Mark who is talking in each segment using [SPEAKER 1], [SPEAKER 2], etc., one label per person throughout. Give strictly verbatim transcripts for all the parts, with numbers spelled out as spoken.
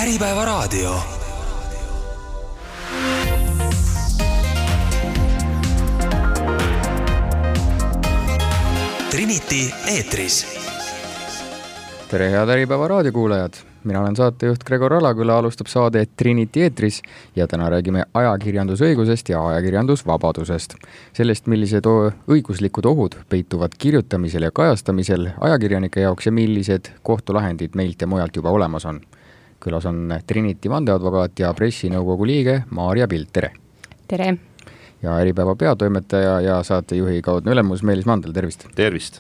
[SPEAKER 1] Äripäevaraadio. Trinity eetris.
[SPEAKER 2] Tere head Äripäeva raadiokuulajad! Mina olen saatejuht Gregor Alaküla, alustab saade Trinity eetris ja täna räägime ajakirjandusõigusest ja ajakirjandusvabadusest. Sellest, millised õiguslikud ohud peituvad kirjutamisel ja kajastamisel ajakirjanike jaoks ja millised kohtulahendid meilt ja mujalt juba olemas on. Külas on Trinity vandeadvokaat ja pressinõukogu liige Maarja Pilt, tere!
[SPEAKER 3] Tere!
[SPEAKER 2] Ja Äripäeva peatoimetaja ja saatejuhi kaudne ülemus Meelis Mandel, tervist!
[SPEAKER 4] Tervist!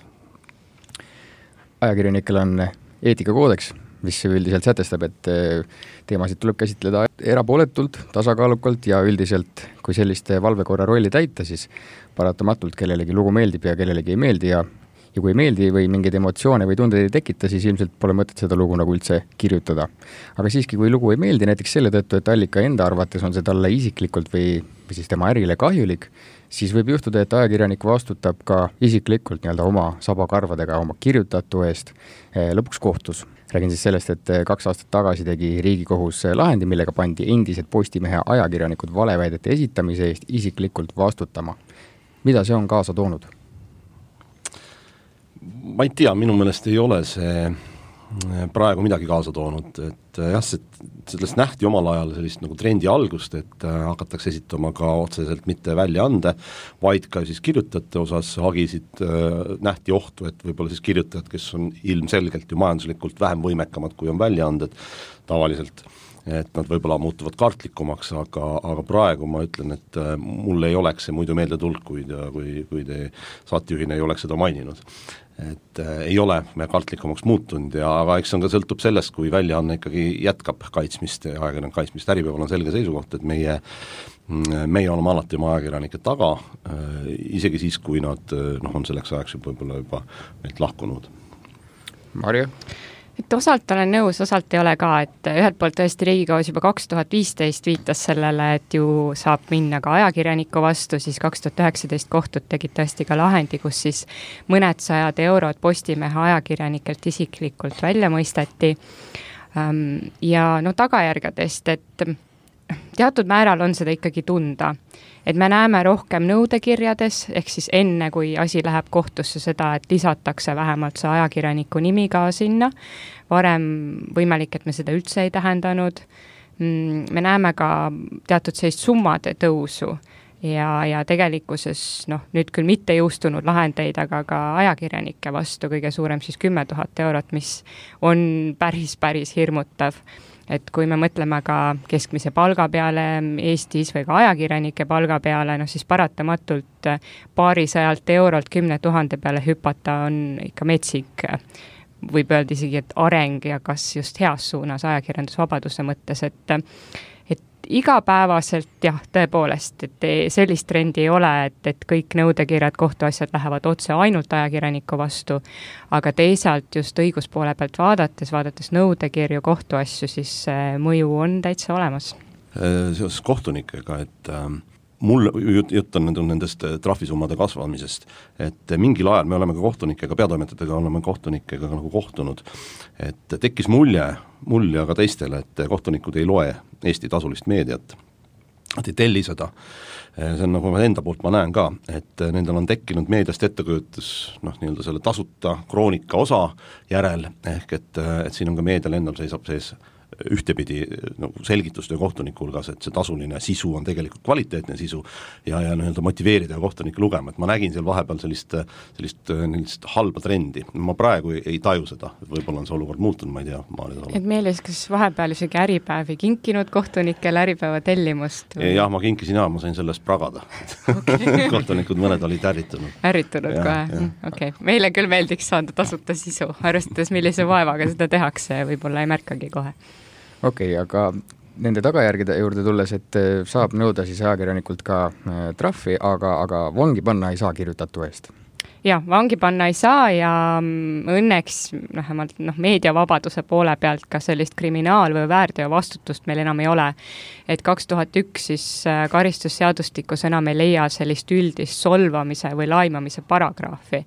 [SPEAKER 2] Ajakirjanikel on eetikakoodeks, mis üldiselt sätestab, et teemasid tuleb käsitleda erapooletult, tasakaalukalt ja üldiselt, kui selliste valvekorra rolli täita, siis paratamatult kellelegi lugu meeldib ja kellelegi ei meeldi ja, ja kui ei meeldi või mingeid emotsioone või tundeid ei tekita, siis ilmselt pole mõtet seda lugu nagu üldse kirjutada. Aga siiski, kui lugu ei meeldi näiteks selle tõttu, et allika enda arvates on see talle isiklikult või, või siis tema ärile kahjulik, siis võib juhtuda, et ajakirjanik vastutab ka isiklikult nii-öelda oma sabakarvadega oma kirjutatu eest lõpuks kohtus. Räägin siis sellest, et kaks aastat tagasi tegi Riigikohus lahendi, millega pandi endised Postimehe ajakirjanikud valeväidete esitamise eest isiklikult vastutama. Mida see on kaasa toonud?
[SPEAKER 4] Ma ei tea, minu meelest ei ole see praegu midagi kaasa toonud, et jah, sellest nähti omal ajal sellist nagu trendi algust, et hakatakse esitama ka otseselt mitte väljaande, vaid ka siis kirjutajate osas hagisid nähti ohtu, et võib-olla siis kirjutajad, kes on ilmselgelt ju majanduslikult vähem võimekamad, kui on väljaanded tavaliselt, et nad võib-olla muutuvad kartlikumaks, aga, aga praegu ma ütlen, et mul ei oleks see muidu meelde tulnud, kui, kui, kui te saatejuhina ei oleks seda maininud. Et äh, ei ole me kartlikumaks muutunud ja aga eks on ka sõltub sellest, kui väljaanne ikkagi jätkab kaitsmist ja ajakirjanik kaitsmist. Äripäeval on selge seisukoht, et meie, meie oleme alati oma ajakirjanike taga, äh, isegi siis, kui nad noh, on selleks ajaks võib-olla juba meilt lahkunud.
[SPEAKER 2] Marja?
[SPEAKER 3] Et osalt olen nõus, osalt ei ole ka, et ühelt poolt tõesti Riigikohus juba kaks tuhat viisteist viitas sellele, et ju saab minna ka ajakirjaniku vastu, siis kaks tuhat üheksateist kohtud tegid tõesti ka lahendi, kus siis mõned sajad eurod Postimehe ajakirjanikelt isiklikult välja mõisteti. Ja no tagajärgedest, et teatud määral on seda ikkagi tunda, et me näeme rohkem nõudekirjades, ehk siis enne, kui asi läheb kohtusse seda, et lisatakse vähemalt see ajakirjaniku nimi ka sinna. Varem võimalik, et me seda üldse ei tähendanud. Me näeme ka teatud sellist summade tõusu ja, ja tegelikkuses noh, nüüd küll mitte jõustunud lahendeid, aga ka ajakirjanike vastu kõige suurem siis kümme tuhat eurot, mis on päris, päris hirmutav. Et kui me mõtleme ka keskmise palga peale Eestis või ka ajakirjanike palga peale, no siis paratamatult paarisajalt eurolt kümne tuhande peale hüpata on ikka metsik, võib öelda isegi, et areng ja kas just heas suunas ajakirjandusvabaduse mõttes, et, et igapäevaselt jah, tõepoolest, et sellist trendi ei ole, et, et kõik nõudekirjad, kohtuasjad lähevad otse ainult ajakirjaniku vastu, aga teisalt just õiguspoole pealt vaadates, vaadates nõudekirju, kohtuasju, siis mõju on täitsa olemas.
[SPEAKER 4] Seoses kohtunikega, et äh, mul jut, jutt on nendest trahvisummade kasvamisest, et mingil ajal me oleme ka kohtunikega, peatoimetajatega oleme kohtunikega nagu kohtunud, et tekkis mulje, mulje aga teistele, et kohtunikud ei loe Eesti tasulist meediat, et ei telli seda. See on nagu enda poolt ma näen ka, et nendel on tekkinud meediast ettekujutus noh, nii-öelda selle tasuta kroonika osa järel, ehk et, et siin on ka meedial endal seisab sees ühtepidi nagu selgitustöö kohtuniku hulgas, et see tasuline sisu on tegelikult kvaliteetne sisu ja, ja nii-öelda motiveerida kohtunikke lugema, et ma nägin seal vahepeal sellist, sellist, sellist halba trendi. Ma praegu ei, ei taju seda, võib-olla on see olukord muutunud, ma ei tea.
[SPEAKER 3] Et Meelis, kas vahepeal isegi Äripäev ei kinkinud kohtunikele Äripäeva tellimust? Või?
[SPEAKER 4] Jah, ma kinkisin ja ma sain sellest pragada. Okay. Kohtunikud mõned olid ärritunud.
[SPEAKER 3] Ärritunud ja, kohe, okei. Okay. Meile küll meeldiks saada tasuta sisu, arvestades millise vaevaga seda tehakse, võib-olla ei märkagi kohe.
[SPEAKER 2] Okei, okay, aga nende tagajärgede juurde tulles, et saab nõuda siis ajakirjanikult ka trahvi, aga, aga vangi panna ei saa kirjutatu eest.
[SPEAKER 3] jah, vangi panna ei saa ja õnneks vähemalt noh, meediavabaduse poole pealt ka sellist kriminaal- või väärteo vastutust meil enam ei ole. Et kaks tuhat üks siis karistusseadustikus enam ei leia sellist üldist solvamise või laimamise paragrahvi.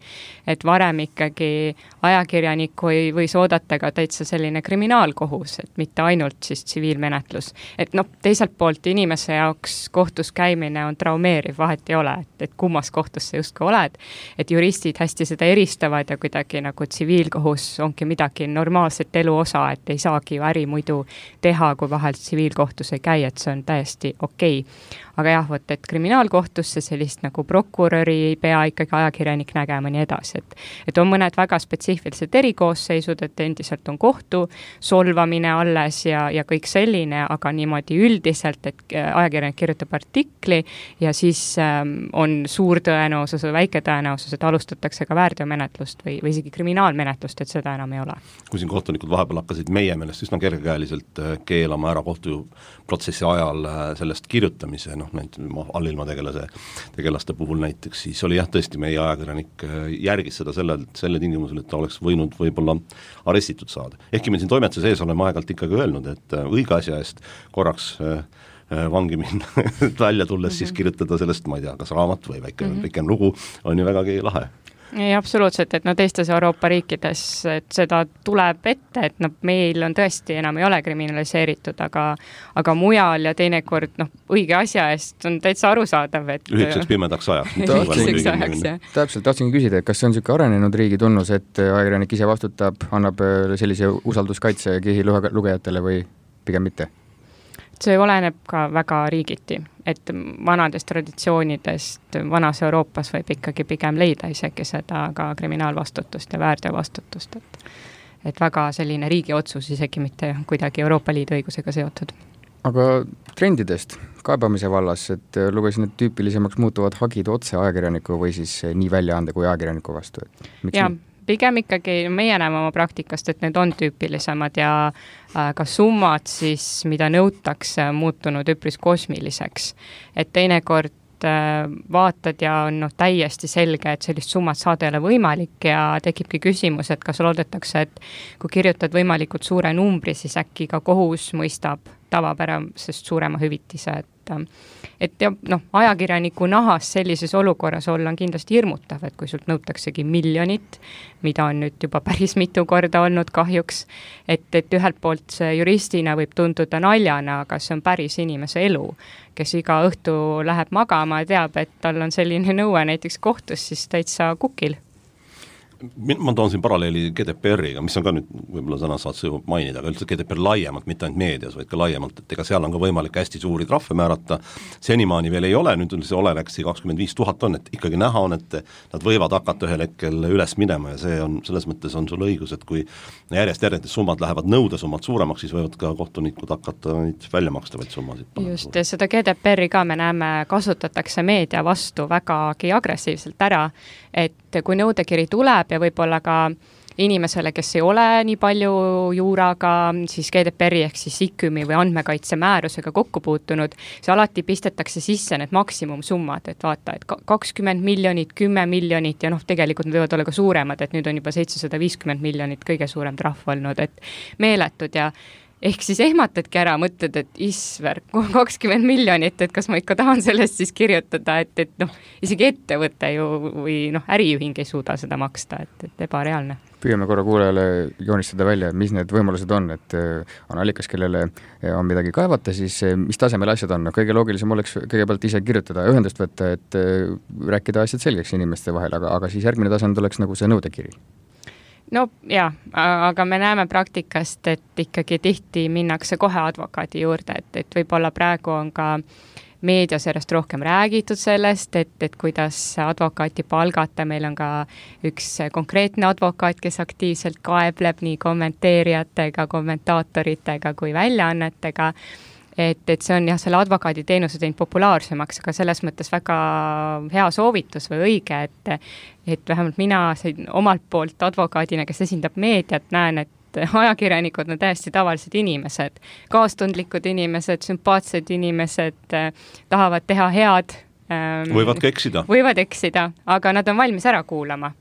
[SPEAKER 3] Et varem ikkagi ajakirjanikku ei võis oodata ka täitsa selline kriminaalkohus, et mitte ainult siis tsiviilmenetlus. Et noh, teiselt poolt inimese jaoks kohtus käimine on traumeeriv, vahet ei ole, et, et kummas kohtus sa justkui oled, et juristid hästi seda eristavad ja kuidagi nagu tsiviilkohus ongi midagi normaalset elu osa, et ei saagi ju äri muidu teha, kui vahel tsiviilkohtus ei käi, et see on täiesti okei. Aga jah, võt, et kriminaalkohtusse sellist nagu prokuröri ei pea ikkagi ajakirjanik nägema nii edasi, et, et on mõned väga spetsiifilised erikoosseisud, et endiselt on kohtu solvamine alles ja, ja kõik selline, aga niimoodi üldiselt, et ajakirjanik kirjutab artikli ja siis ähm, on suur tõenäosus või väike tõenäosus, et alustatakse ka väärteomenetlust või, või isegi kriminaalmenetlust, et seda enam ei ole.
[SPEAKER 4] Kui siin kohtunikud vahepeal hakkasid meie meelest üsna kergekäeliselt keelama ära kohtuprotsessi ajal sellest kirjutamise, noh, näiteks allilma tegelase, tegelaste puhul näiteks, siis oli jah, tõesti meie ajakirjanik järgis seda selle, selle tingimusel, et ta oleks võinud võib-olla arestitud saada. Ehkki me siin toimetuse sees oleme aegalt ikkagi öelnud, et õige asja eest korraks vangi minna välja tulles, mm-hmm. siis kirjutada sellest, ma ei tea, kas raamat või väike mm-hmm. pikem lugu on ju vägagi lahe.
[SPEAKER 3] Ei, absoluutselt, et no teistes Euroopa riikides, et seda tuleb ette, et no meil on tõesti enam ei ole kriminaliseeritud, aga, aga mujal ja teinekord noh, õige asja eest on täitsa arusaadav, et
[SPEAKER 4] ühitseks pimedaks ajaks.
[SPEAKER 3] ühitseks ajaks, jah.
[SPEAKER 2] Täpselt, tahtsingi küsida, et kas see on niisugune arenenud riigi tunnus, et ajakirjanik ise vastutab, annab sellise usalduskaitse kihi lugejatele või pigem mitte?
[SPEAKER 3] See oleneb ka väga riigiti, et vanadest traditsioonidest vanas Euroopas võib ikkagi pigem leida isegi seda ka kriminaalvastutust ja väärteovastutust, et, et väga selline riigi otsus isegi mitte kuidagi Euroopa Liidu õigusega seotud.
[SPEAKER 2] Aga trendidest kaebamise vallas, et lugesin, et tüüpilisemaks muutuvad hagid otse ajakirjaniku või siis nii väljaande kui ajakirjaniku vastu. Miks
[SPEAKER 3] ja,
[SPEAKER 2] nii?
[SPEAKER 3] Pigem ikkagi meie näeme oma praktikast, et need on tüüpilisemad ja ka summad siis, mida nõutakse, muutunud üpris kosmiliseks. Et teinekord vaatad ja on no, täiesti selge, et sellist summat saada ei ole võimalik ja tekibki küsimus, et kas loodetakse, et kui kirjutad võimalikult suure numbri, siis äkki ka kohus mõistab tavapärasest suurema hüvitise, et et ja noh, ajakirjaniku nahas sellises olukorras olla on kindlasti hirmutav, et kui sult nõutaksegi miljonit, mida on nüüd juba päris mitu korda olnud kahjuks, et, et ühelt poolt see juristina võib tunduda naljana, aga see on päris inimese elu, kes iga õhtu läheb magama ja teab, et tal on selline nõue näiteks kohtus, siis täitsa kukil.
[SPEAKER 4] Ma toon siin paralleeli G D P R-iga, mis on ka nüüd võib-olla täna saad see mainida, aga üldse G D P R laiemalt, mitte ainult meedias, vaid ka laiemalt, et ega seal on ka võimalik hästi suuri trahve määrata. Senimaani veel ei ole, nüüd see Olereksi kakskümmend viis tuhat on, et ikkagi näha on, et nad võivad hakata ühel hetkel üles minema ja see on, selles mõttes on sul õigus, et kui järjest järjest summad lähevad nõudesummad suuremaks, siis võivad ka kohtunikud hakata neid välja makstavaid summasid.
[SPEAKER 3] Just, ja seda G D P R-i ka me näeme, kasutatakse meedia vastu vägagi agressiivselt ära, et kui nõudekiri tuleb ja võib-olla ka inimesele, kes ei ole nii palju juuraga, siis G D P R-i ehk siis IKÜM-i või andmekaitse määrusega kokku puutunud, see alati pistetakse sisse need maksimumsummad, et vaata, et kakskümmend miljonit, kümme miljonit ja noh, tegelikult need võivad olla ka suuremad, et nüüd on juba seitsesada viiskümmend miljonit kõige suurem trahv olnud, et meeletud ja ehk siis ehmatadki ära, mõtled, et isver, kakskümmend miljonit, et kas ma ikka tahan sellest siis kirjutada, et, et noh, isegi ettevõte ju või noh, äriühing ei suuda seda maksta, et, et ebareaalne.
[SPEAKER 2] Püüame korra kuulajale joonistada välja, mis need võimalused on, et on allikas, kellele on midagi kaevata, siis mis tasemel asjad on. Kõige loogilisem oleks kõigepealt ise kirjutada, ühendust võtta, et rääkida asjad selgeks inimeste vahel, aga, aga siis järgmine tasand oleks nagu see nõudekiri.
[SPEAKER 3] No jaa, aga me näeme praktikast, et ikkagi tihti minnakse kohe advokaadi juurde, et, et võib-olla praegu on ka meedias järjest rohkem räägitud sellest, et, et kuidas advokaati palgata, meil on ka üks konkreetne advokaat, kes aktiivselt kaebleb nii kommenteerijatega, kommentaatoritega kui väljaannetega, et, et see on jah, selle advokaadi teenuse teinud populaarsemaks, aga selles mõttes väga hea soovitus või õige, et, et vähemalt mina omalt poolt advokaadina, kes esindab meediat, näen, et ajakirjanikud on täiesti tavalised inimesed, kaastundlikud inimesed, sümpaatsed inimesed, tahavad teha head
[SPEAKER 4] võivad ka eksida.
[SPEAKER 3] Võivad eksida, aga nad on valmis ära kuulama.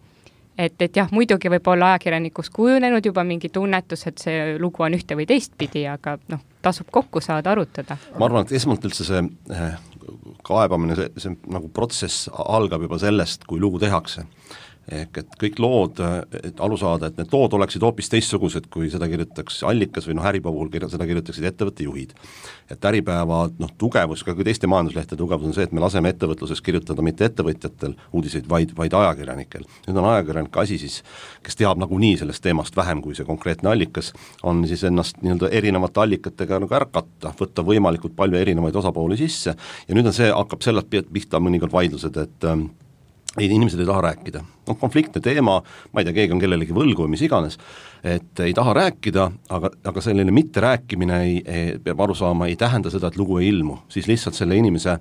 [SPEAKER 3] Et, et jah, muidugi võib olla ajakirjanikus kujunenud juba mingi tunnetus, et see lugu on ühte või teistpidi, aga noh, tasub kokku saada, arutada.
[SPEAKER 4] Ma arvan, et esmalt üldse see kaebamine, see, see nagu protsess algab juba sellest, kui lugu tehakse. Ehk et kõik lood, et alu saada, et need lood oleksid hoopis teistsugused, kui seda kirjutaks Allikas või noh, Äripäeva puhul seda kirjutaksid ettevõtte juhid. Et Äripäeva noh, tugevus, ka kui teiste majanduslehtede tugevus on see, et me laseme ettevõtluses kirjutada mitte ettevõtjatel uudiseid, vaid, vaid ajakirjanikel. Nüüd on ajakirjanik asi siis, kes teab nagunii sellest teemast vähem kui see konkreetne Allikas, on siis ennast nii-öelda erinevate allikatega nagu ära katta, võtta võimalikult palju erinevaid osapooli sisse ja nüüd on see, hakkab sellest pihta mõnikord vaidlused, et ei, inimesed ei taha rääkida. No, konfliktne teema, ma ei tea, keegi on kellelegi võlgu või mis iganes, et ei taha rääkida, aga, aga selline mitte rääkimine ei, ei, peab aru saama, ei tähenda seda, et lugu ei ilmu. Siis lihtsalt selle inimese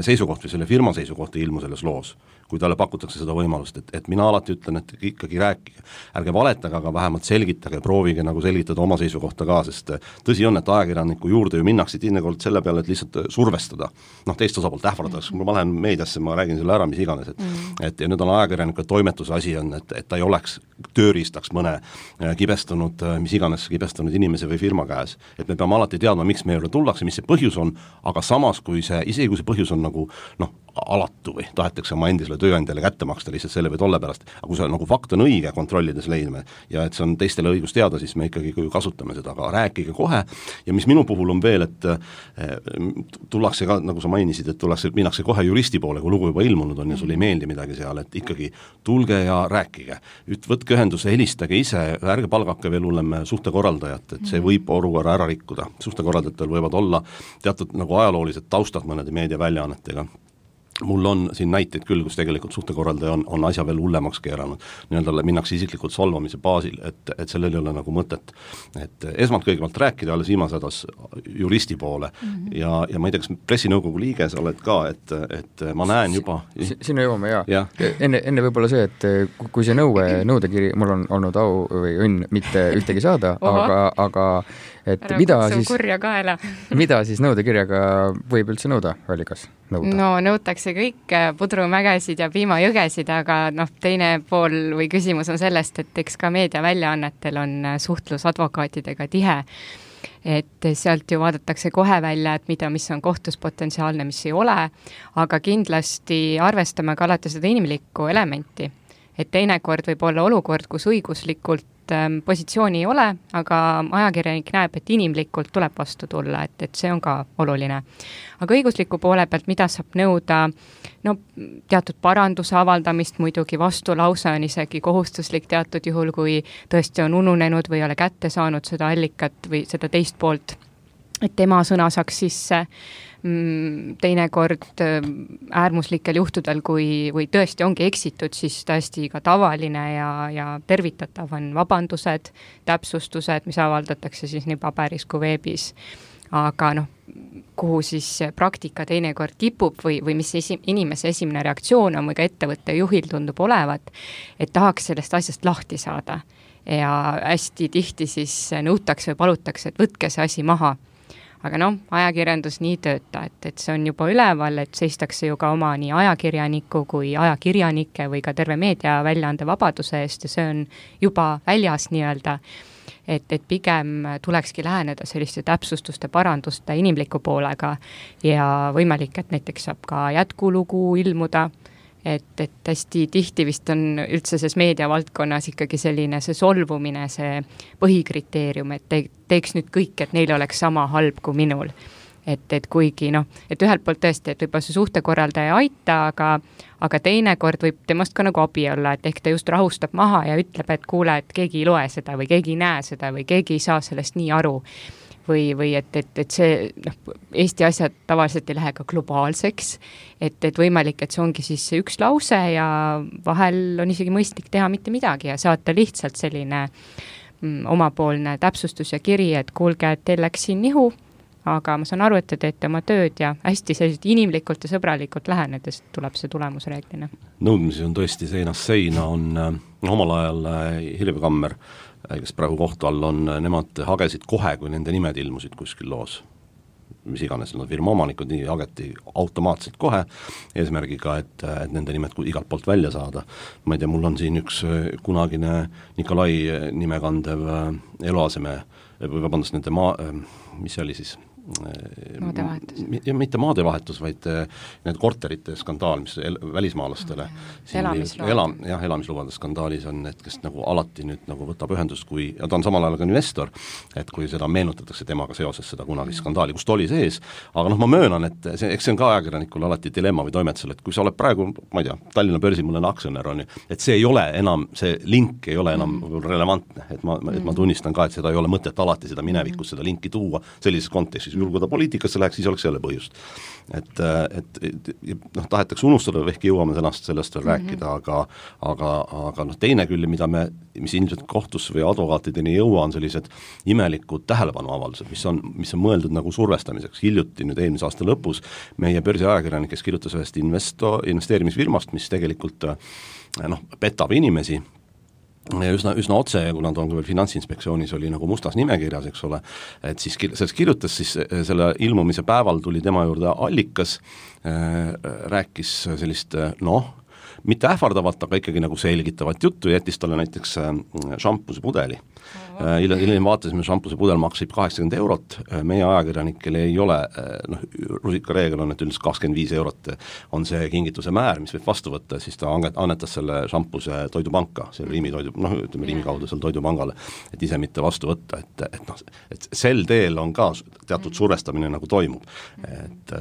[SPEAKER 4] seisukoht või selle firma seisukoht ei ilmu selles loos, kui talle pakutakse seda võimalust, et, et mina alati ütlen, et ikkagi rääkige, ärge valetage, aga vähemalt selgitage, proovige nagu selgitada oma seisukohta ka, sest tõsi on, et ajakirjaniku juurde ju minnakse teinekord selle peale, et lihtsalt survestada, noh teist osapoolt ähvardaks, kui ma lähen meediasse, ma räägin selle ära, mis iganes, et, mm. et ja nüüd on ajakirjaniku toimetuse asi on, et, et ta ei oleks tööriistaks mõne kibestunud, mis iganes kibestunud inimese või firma käes, et me peame alati teadma, miks me juurde tullakse, mis see põhjus on, aga samas kui see, isegi kui see põhjus on nagu noh, alatu või tahetakse oma endisele tööandjale kätte maksta lihtsalt selle või tolle pärast, aga kui see nagu fakt on õige kontrollides leidme ja et see on teistele õigus teada, siis me ikkagi kasutame seda, aga rääkige kohe ja mis minu puhul on veel, et tullakse ka, nagu sa mainisid, et tullakse, minnakse kohe juristi poole, kui lugu juba ilmunud on ja sulle ei meeldi midagi seal, et ikkagi tulge ja rääkige, Üt, võtke ühenduse, helistage ise, ärge palgake veel hullem suhtekorraldajat, et see võib olukorra ära rikkuda, suhtekorraldajatel võivad olla teatud nagu ajaloolised taustad mõnede meediaväljaannetega. Mul on siin näiteid küll, kus tegelikult suhtekorraldaja on, on asja veel hullemaks keeranud, nii-öelda minnakse isiklikult solvamise baasil, et, et sellel ei ole nagu mõtet. Et esmalt kõigepealt rääkida alles viimase hädas juristi poole mm-hmm. ja, ja ma ei tea, kas pressinõukogu liige sa oled ka, et, et ma näen juba
[SPEAKER 2] S sinna jõuame, jaa
[SPEAKER 4] ja.
[SPEAKER 2] ja. Enne, enne võib-olla see, et kui see nõue, nõudekiri, mul on olnud au või õnn mitte ühtegi saada, aga, aga et
[SPEAKER 3] ära
[SPEAKER 2] mida
[SPEAKER 3] kutsu
[SPEAKER 2] siis,
[SPEAKER 3] kurja kaela.
[SPEAKER 2] mida siis nõudekirjaga võib üldse nõuda, Allikas? Nõuda?
[SPEAKER 3] No nõutakse kõik pudrumägesid ja piimajõgesid, aga noh, teine pool või küsimus on sellest, et eks ka meediaväljaannetel on suhtlus advokaatidega tihe, et sealt ju vaadatakse kohe välja, et mida, mis on kohtus potentsiaalne, mis ei ole, aga kindlasti arvestame ka alati seda inimlikku elementi, et teinekord võib olla olukord, kus õiguslikult positsiooni ei ole, aga ajakirjanik näeb, et inimlikult tuleb vastu tulla, et, et see on ka oluline. Aga õigusliku poole pealt, mida saab nõuda, no teatud paranduse avaldamist, muidugi vastulause on isegi kohustuslik teatud juhul, kui tõesti on ununenud või ei ole kätte saanud seda allikat või seda teist poolt, et tema sõna saaks sisse. Teinekord äärmuslikel juhtudel, kui, või tõesti ongi eksitud, siis tõesti ka tavaline ja, ja tervitatav on vabandused, täpsustused, mis avaldatakse siis nii paberis kui veebis. Aga noh, kuhu siis praktika teinekord kipub või, või mis esi, inimese esimene reaktsioon on või ka ettevõtte juhil tundub olevat, et tahaks sellest asjast lahti saada. Ja hästi tihti siis nõutakse või palutakse, et võtke see asi maha. Aga noh, ajakirjandus nii tööta, et, et see on juba üleval, et seistakse ju ka oma nii ajakirjaniku kui ajakirjanike või ka terve meedia väljaande vabaduse eest ja see on juba väljas nii-öelda, et, et pigem tulekski läheneda selliste täpsustuste, paranduste inimliku poolega ja võimalik, et näiteks saab ka jätkulugu ilmuda, et, et hästi tihti vist on üldse selles meediavaldkonnas ikkagi selline see solvumine, see põhikriteerium, et te, teeks nüüd kõik, et neil oleks sama halb kui minul. Et, et kuigi noh, et ühelt poolt tõesti, et võib-olla see suhtekorraldaja ei aita, aga, aga teinekord võib temast ka nagu abi olla, et ehk ta just rahustab maha ja ütleb, et kuule, et keegi ei loe seda või keegi ei näe seda või keegi ei saa sellest nii aru. Või, või et, et, et see, noh, Eesti asjad tavaliselt ei lähe ka globaalseks, et, et võimalik, et see ongi siis üks lause ja vahel on isegi mõistlik teha mitte midagi ja saata lihtsalt selline mm, omapoolne täpsustus ja kiri, et kuulge, et teil läks siin nihu, aga ma saan aru, et te teete oma tööd ja hästi selliselt inimlikult ja sõbralikult lähenedes tuleb see tulemus reeglina.
[SPEAKER 4] Nõudmisi on tõesti seinast seina, on no, omal ajal Hilve Kammer, kes praegu kohtu all on, nemad hagesid kohe, kui nende nimed ilmusid kuskil loos. mis iganes nad firma omanikud, nii hageti automaatselt kohe eesmärgiga, et, et nende nimed igalt poolt välja saada. Ma ei tea, mul on siin üks kunagine Nikolai nime kandev eluaseme, või vabandust, nende maa, mis see oli siis?
[SPEAKER 3] Maadevahetus.
[SPEAKER 4] Ja mitte maadevahetus, vaid need korterite skandaal, mis el, välismaalastele
[SPEAKER 3] elamislubade.
[SPEAKER 4] Ela, jah, elamislubade skandaalis on need, kes nagu alati nüüd nagu võtab ühendust, kui, ja ta on samal ajal ka investor, et kui seda meenutatakse temaga seoses seda kunagi skandaali, kust oli sees, aga noh, ma möönan, et see, eks see on ka ajakirjanikul alati dilemma või toimetusel, et kui sa oled praegu, ma ei tea, Tallinna börsi mõne aktsionär on ju, et see ei ole enam, see link ei ole enam mm. relevantne, et ma, et ma tunnistan ka, et seda ei ole mõtet alati seda minevikus, seda linki tuua sellises kontekstis, juhul kui ta poliitikasse läheks, siis oleks jälle põhjust. Et, et, et noh, tahetakse unustada, ehkki jõuame sellest, sellest veel mm-hmm. rääkida, aga, aga, aga noh, teine küll, mida me, mis ilmselt kohtus või advokaatideni jõua, on sellised imelikud tähelepanuavaldused, mis on, mis on mõeldud nagu survestamiseks. Hiljuti nüüd eelmise aasta lõpus meie börsiajakirjanik, kes kirjutas ühest investo, investeerimisfirmast, mis tegelikult noh, petab inimesi, ja üsna, üsna otse, kuna ta on veel Finantsinspektsioonis oli nagu mustas nimekirjas, eks ole, et siis sellest kirjutas siis selle ilmumise päeval tuli tema juurde allikas, äh, rääkis sellist noh, mitte ähvardavat, aga ikkagi nagu selgitavat juttu, jättis talle näiteks šampuse pudeli. Hiljem, hiljem vaatasime, šampuse pudel maksib kaheksakümmend eurot, meie ajakirjanikel ei ole, noh, rusika reegel on, et üldiselt kakskümmend viis eurot on see kingituse määr, mis võib vastu võtta, siis ta annetas selle šampuse toidupanka, selle Riimi toidu, noh, ütleme Riimi kaudu selle toidupangale, et ise mitte vastu võtta, et, et noh, et sel teel on ka teatud survestamine nagu toimub. Et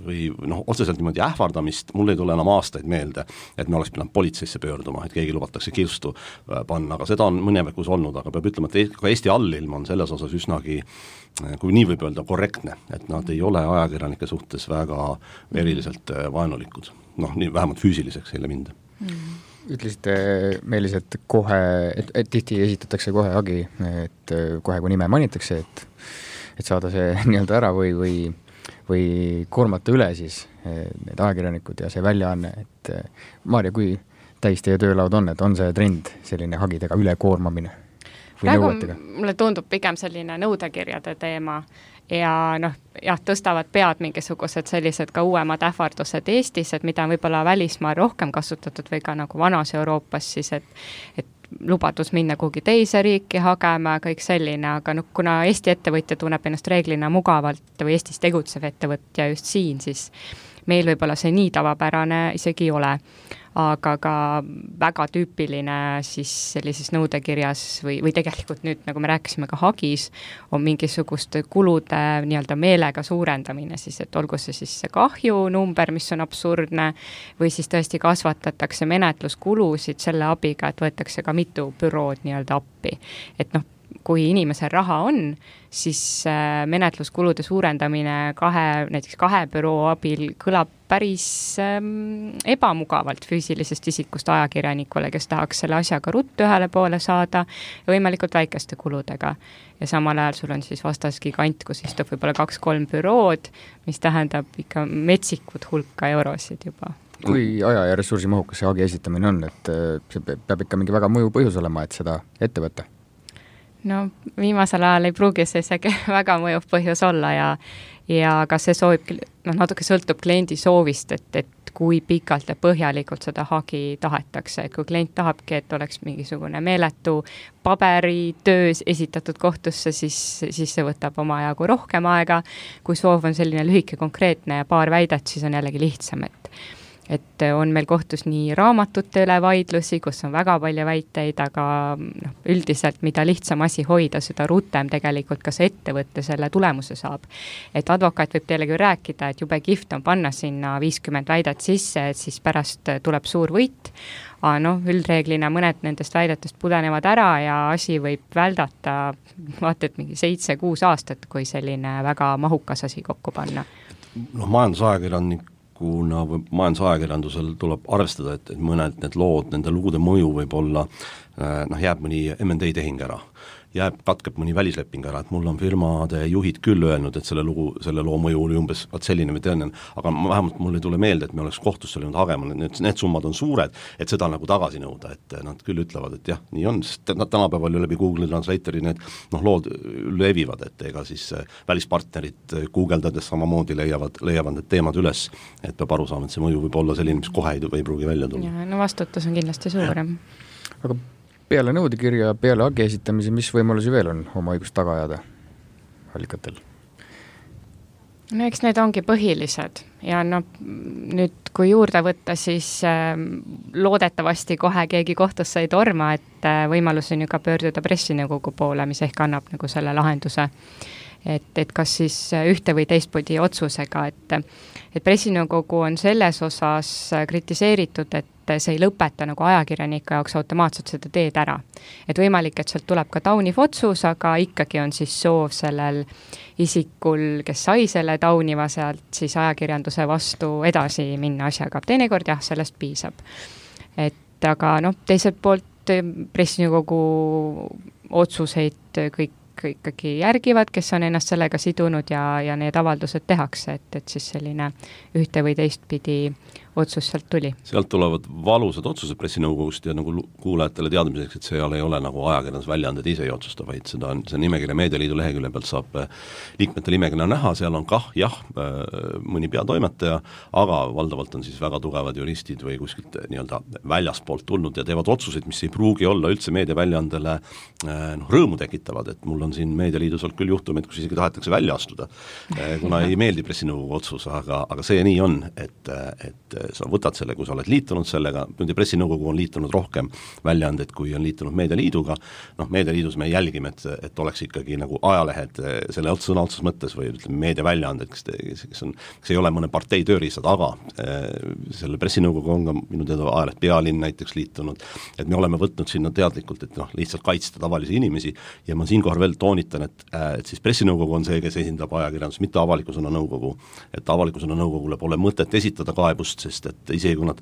[SPEAKER 4] või noh, otseselt niimoodi ähvardamist, mul ei tule enam aastaid meelde, et me oleks pidanud politseisse pöörduma, et keegi lubatakse kirstu panna, aga seda on mõnevekus olnud, aga peab ütlema, et ka Eesti allilm on selles osas üsnagi, kui nii võib öelda, korrektne, et nad ei ole ajakirjanike suhtes väga eriliselt vaenulikud, noh, nii vähemalt füüsiliseks ei le minda.
[SPEAKER 3] Mm.
[SPEAKER 2] Ütlesite, Meelis, et kohe, et, et tihti esitatakse kohe hagi, et kohe kui nime manitakse, et, et saada see nii-öelda ära või, või, või koormata üle siis need ajakirjanikud ja see väljaanne, et Maarja, kui täis teie töölaud on, et on see trend selline hagidega ülekoormamine?
[SPEAKER 3] Praegu mulle tundub pigem selline nõudekirjade teema ja noh, jah, tõstavad pead mingisugused sellised ka uuemad ähvardused Eestis, et mida on võib-olla välismaal rohkem kasutatud või ka nagu vanas Euroopas siis, et, et lubadus minna kuhugi teise riiki hagema, kõik selline, aga noh, kuna Eesti ettevõtja tunneb ennast reeglina mugavalt või Eestis tegutsev ettevõtja just siin, siis meil võib-olla see nii tavapärane isegi ei ole. Aga ka väga tüüpiline siis sellises nõudekirjas või, või tegelikult nüüd, nagu me rääkisime ka hagis, on mingisuguste kulude nii-öelda meelega suurendamine, siis et olgu see siis see kahju number, mis on absurdne, või siis tõesti kasvatatakse menetluskulusid selle abiga, et võetakse ka mitu bürood nii-öelda appi. Et noh, kui inimesel raha on, siis menetluskulude suurendamine kahe, näiteks kahe büroo abil kõlab päris ähm, ebamugavalt füüsilisest isikust ajakirjanikule, kes tahaks selle asjaga ruttu ühele poole saada ja võimalikult väikeste kuludega. Ja samal ajal sul on siis vastas gigant, kus istub võib-olla kaks-kolm bürood, mis tähendab ikka metsikut hulka eurosid juba.
[SPEAKER 2] Kui aja ja ressursi mahukas see hagi esitamine on, et see peab ikka mingi väga mõju põhjus olema, et seda ette võtta?
[SPEAKER 3] No viimasel ajal ei pruugi see isegi väga mõjuv põhjus olla ja, ja ka see soovib, no natuke sõltub kliendi soovist, et, et kui pikalt ja põhjalikult seda hagi tahetakse, et kui klient tahabki, et oleks mingisugune meeletu paberitöös esitatud kohtusse, siis, siis see võtab oma ajagu rohkem aega, kui soov on selline lühike konkreetne ja paar väidet, siis on jällegi lihtsam, et et on meil kohtus nii raamatute üle vaidlusi, kus on väga palju väiteid, aga noh, üldiselt mida lihtsam asi hoida, seda rutem tegelikult ka see ettevõtte selle tulemuse saab. Et advokaat võib teile küll rääkida, et jube kihvt on panna sinna viiskümmend väidet sisse, et siis pärast tuleb suur võit, aga noh, üldreeglina mõned nendest väidetest pudenevad ära ja asi võib väldata vaata, et mingi seitse-kuus aastat, kui selline väga mahukas asi kokku panna.
[SPEAKER 4] Noh, majandusajakirjanik kuna majandusajakirjandusel tuleb arvestada, et, et mõned need lood, nende lugude mõju võib olla, noh, jääb mõni M and A tehing ära. jääb, katkeb mõni välisleping ära, et mul on firmade juhid küll öelnud, et selle lugu, selle loo mõju oli umbes vaat selline või tõenäoline, aga ma, vähemalt mul ei tule meelde, et me oleks kohtusse läinud hagema, need, need summad on suured, et seda nagu tagasi nõuda, et nad küll ütlevad, et jah, nii on, sest nad tänapäeval ju läbi Google Translatori need noh, lood levivad, et ega siis välispartnerid guugeldades samamoodi leiavad, leiavad need teemad üles, et peab aru saama, et see mõju võib olla selline, mis kohe ei, ei pruugi välja tulla.
[SPEAKER 3] Ja, no vastutus on kindlasti suurem.
[SPEAKER 2] Aga peale nõudekirja, peale hagi esitamise, mis võimalusi veel on oma õigust taga ajada allikatel?
[SPEAKER 3] No eks need ongi põhilised ja no nüüd kui juurde võtta, siis äh, loodetavasti kohe keegi kohtusse ei torma, et äh, võimalus on ju ka pöörduda pressinõukogu poole, mis ehk annab nagu selle lahenduse. Et, et kas siis ühte või teistpidi otsusega, et, et pressinõukogu on selles osas kritiseeritud, et see ei lõpeta nagu ajakirjanike jaoks automaatselt seda teed ära. Et võimalik, et sealt tuleb ka tauniv otsus, aga ikkagi on siis soov sellel isikul, kes sai selle tauniva sealt, siis ajakirjanduse vastu edasi minna asjaga. Teinekord jah, sellest piisab. Et aga noh, teiselt poolt pressinõukogu otsuseid kõik ikkagi järgivad, kes on ennast sellega sidunud ja, ja need avaldused tehakse, et, et siis selline ühte või teistpidi otsus sealt tuli.
[SPEAKER 4] Sealt tulevad valusad otsused pressinõukogust ja nagu kuulajatele teadmiseks, et seal ei ole nagu ajakirjandus väljaanded ise ei otsusta, vaid seda on, see nimekirja Meedialiidu lehekülje pealt saab liikmete nimekirja näha, seal on kah jah, mõni peatoimetaja, aga valdavalt on siis väga tugevad juristid või kuskilt nii-öelda väljaspoolt tulnud ja teevad otsuseid, mis ei pruugi olla üldse meediaväljaandele noh, rõõmu tekitavad, et mul on siin Meedialiidus olnud küll juhtumid, kus isegi tahetakse välja astuda, kuna ei meeldi pressinõukogu otsus, aga, aga see nii on, et, et sa võtad selle, kui sa oled liitunud sellega, nüüd pressinõukogu on liitunud rohkem väljaandeid, kui on liitunud Meedialiiduga, noh, Meedialiidus me jälgime, et, et oleks ikkagi nagu ajalehed selle sõna otsus mõttes või ütleme meediaväljaanded, kes, kes, on, kes ei ole mõne partei tööriistad, aga selle pressinõukogu on ka minu teada ajaleht Pealinn näiteks liitunud, et me oleme võtnud sinna teadlikult, et noh, lihtsalt kaitsta tavalisi inimesi ja ma siinkohal veel toonitan, et, et siis pressinõukogu on see, kes esindab ajakirjandus, mitte avaliku sõna nõukogu, et avaliku sõna nõukogule pole mõtet esitada kaebust, sest et isegi kui nad,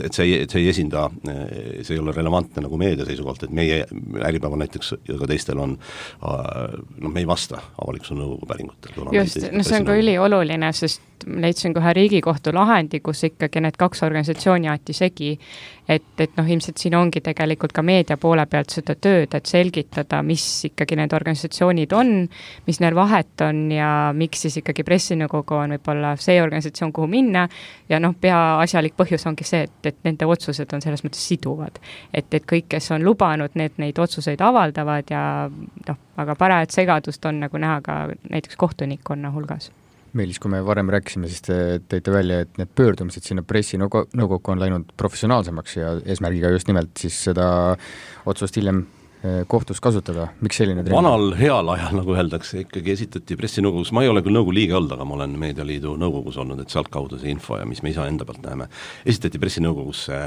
[SPEAKER 4] et see ei, see ei esinda, see ei ole relevantne nagu meedia seisukohalt, et meie Äripäeval näiteks ja ka teistel on, no me ei vasta avaliku sõna nõukogu päringutel.
[SPEAKER 3] Just, no see on ka ülioluline, sest leidsin kohe Riigikohtu lahendi, kus ikkagi need kaks organisatsiooni aeti segi, et, et noh, ilmselt siin ongi tegelikult ka meedia poole pealt seda tööd, et selgitada, mis ikkagi need organisatsioonid on, mis neil vahet on ja miks siis ikkagi pressinõukogu on võib-olla see organisatsioon, kuhu minna ja noh, peaasjalik põhjus ongi see, et, et nende otsused on selles mõttes siduvad. Et, et kõik, kes on lubanud, need neid otsuseid avaldavad ja noh, aga parajat segadust on nagu näha ka näiteks kohtunikkonna hulgas.
[SPEAKER 2] Meelis, kui me varem rääkisime, siis te teite välja, et need pöördumised sinna pressinõukokku on läinud professionaalsemaks ja eesmärgiga just nimelt siis seda otsust hiljem kohtus kasutada, miks selline trend?
[SPEAKER 4] Vanal heal ajal, nagu öeldakse, ikkagi esitati pressinõukogus, ma ei ole küll nõukogu liige olnud, aga ma olen Meedialiidu nõukogus olnud, et sealt kaudu see info ja mis me ise enda pealt näeme, esitati pressinõukogusse,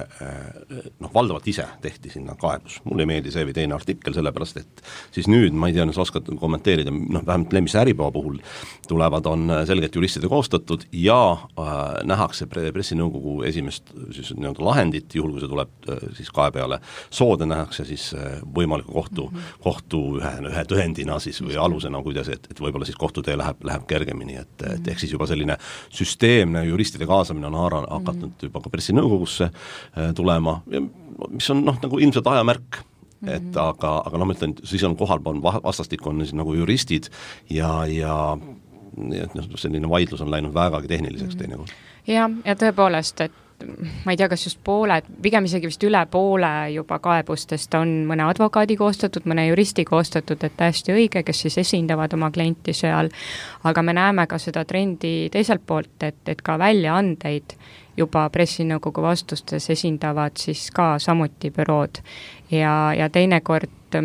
[SPEAKER 4] noh, valdavalt ise tehti sinna kaebus. Mulle ei meeldi see või teine artikkel, sellepärast, et siis nüüd, ma ei tea, sa oskad kommenteerida, noh, vähemalt Lemmise Äripäeva puhul tulevad, on selgelt juristide koostatud ja äh, nähakse pressinõukogu esimest siis, nii-öelda lahendit, juhul kui see tuleb äh, siis kae peale soode, nähakse siis äh, võimalik kohtu, kohtu ühe, ühe tõendina siis või alusena, kuidas, et, et võib-olla siis kohtutee läheb, läheb kergemini, et, et ehk siis juba selline süsteemne juristide kaasamine on haara, hakatud juba ka pressinõukogusse tulema, mis on noh, nagu ilmselt ajamärk, et aga, aga noh, ma ütlen, siis on kohal vastastik on siis nagu juristid ja, ja et noh, selline vaidlus on läinud vägagi tehniliseks teinekord.
[SPEAKER 3] Ja, ja tõepoolest, et ma ei tea, kas just pooled, pigem isegi vist üle poole juba kaebustest on mõne advokaadi koostatud, mõne juristi koostatud, et täiesti õige, kes siis esindavad oma klienti seal, aga me näeme ka seda trendi teiselt poolt, et, et ka väljaandeid juba pressinõukogu vastustes esindavad siis ka samuti bürood ja, ja teinekord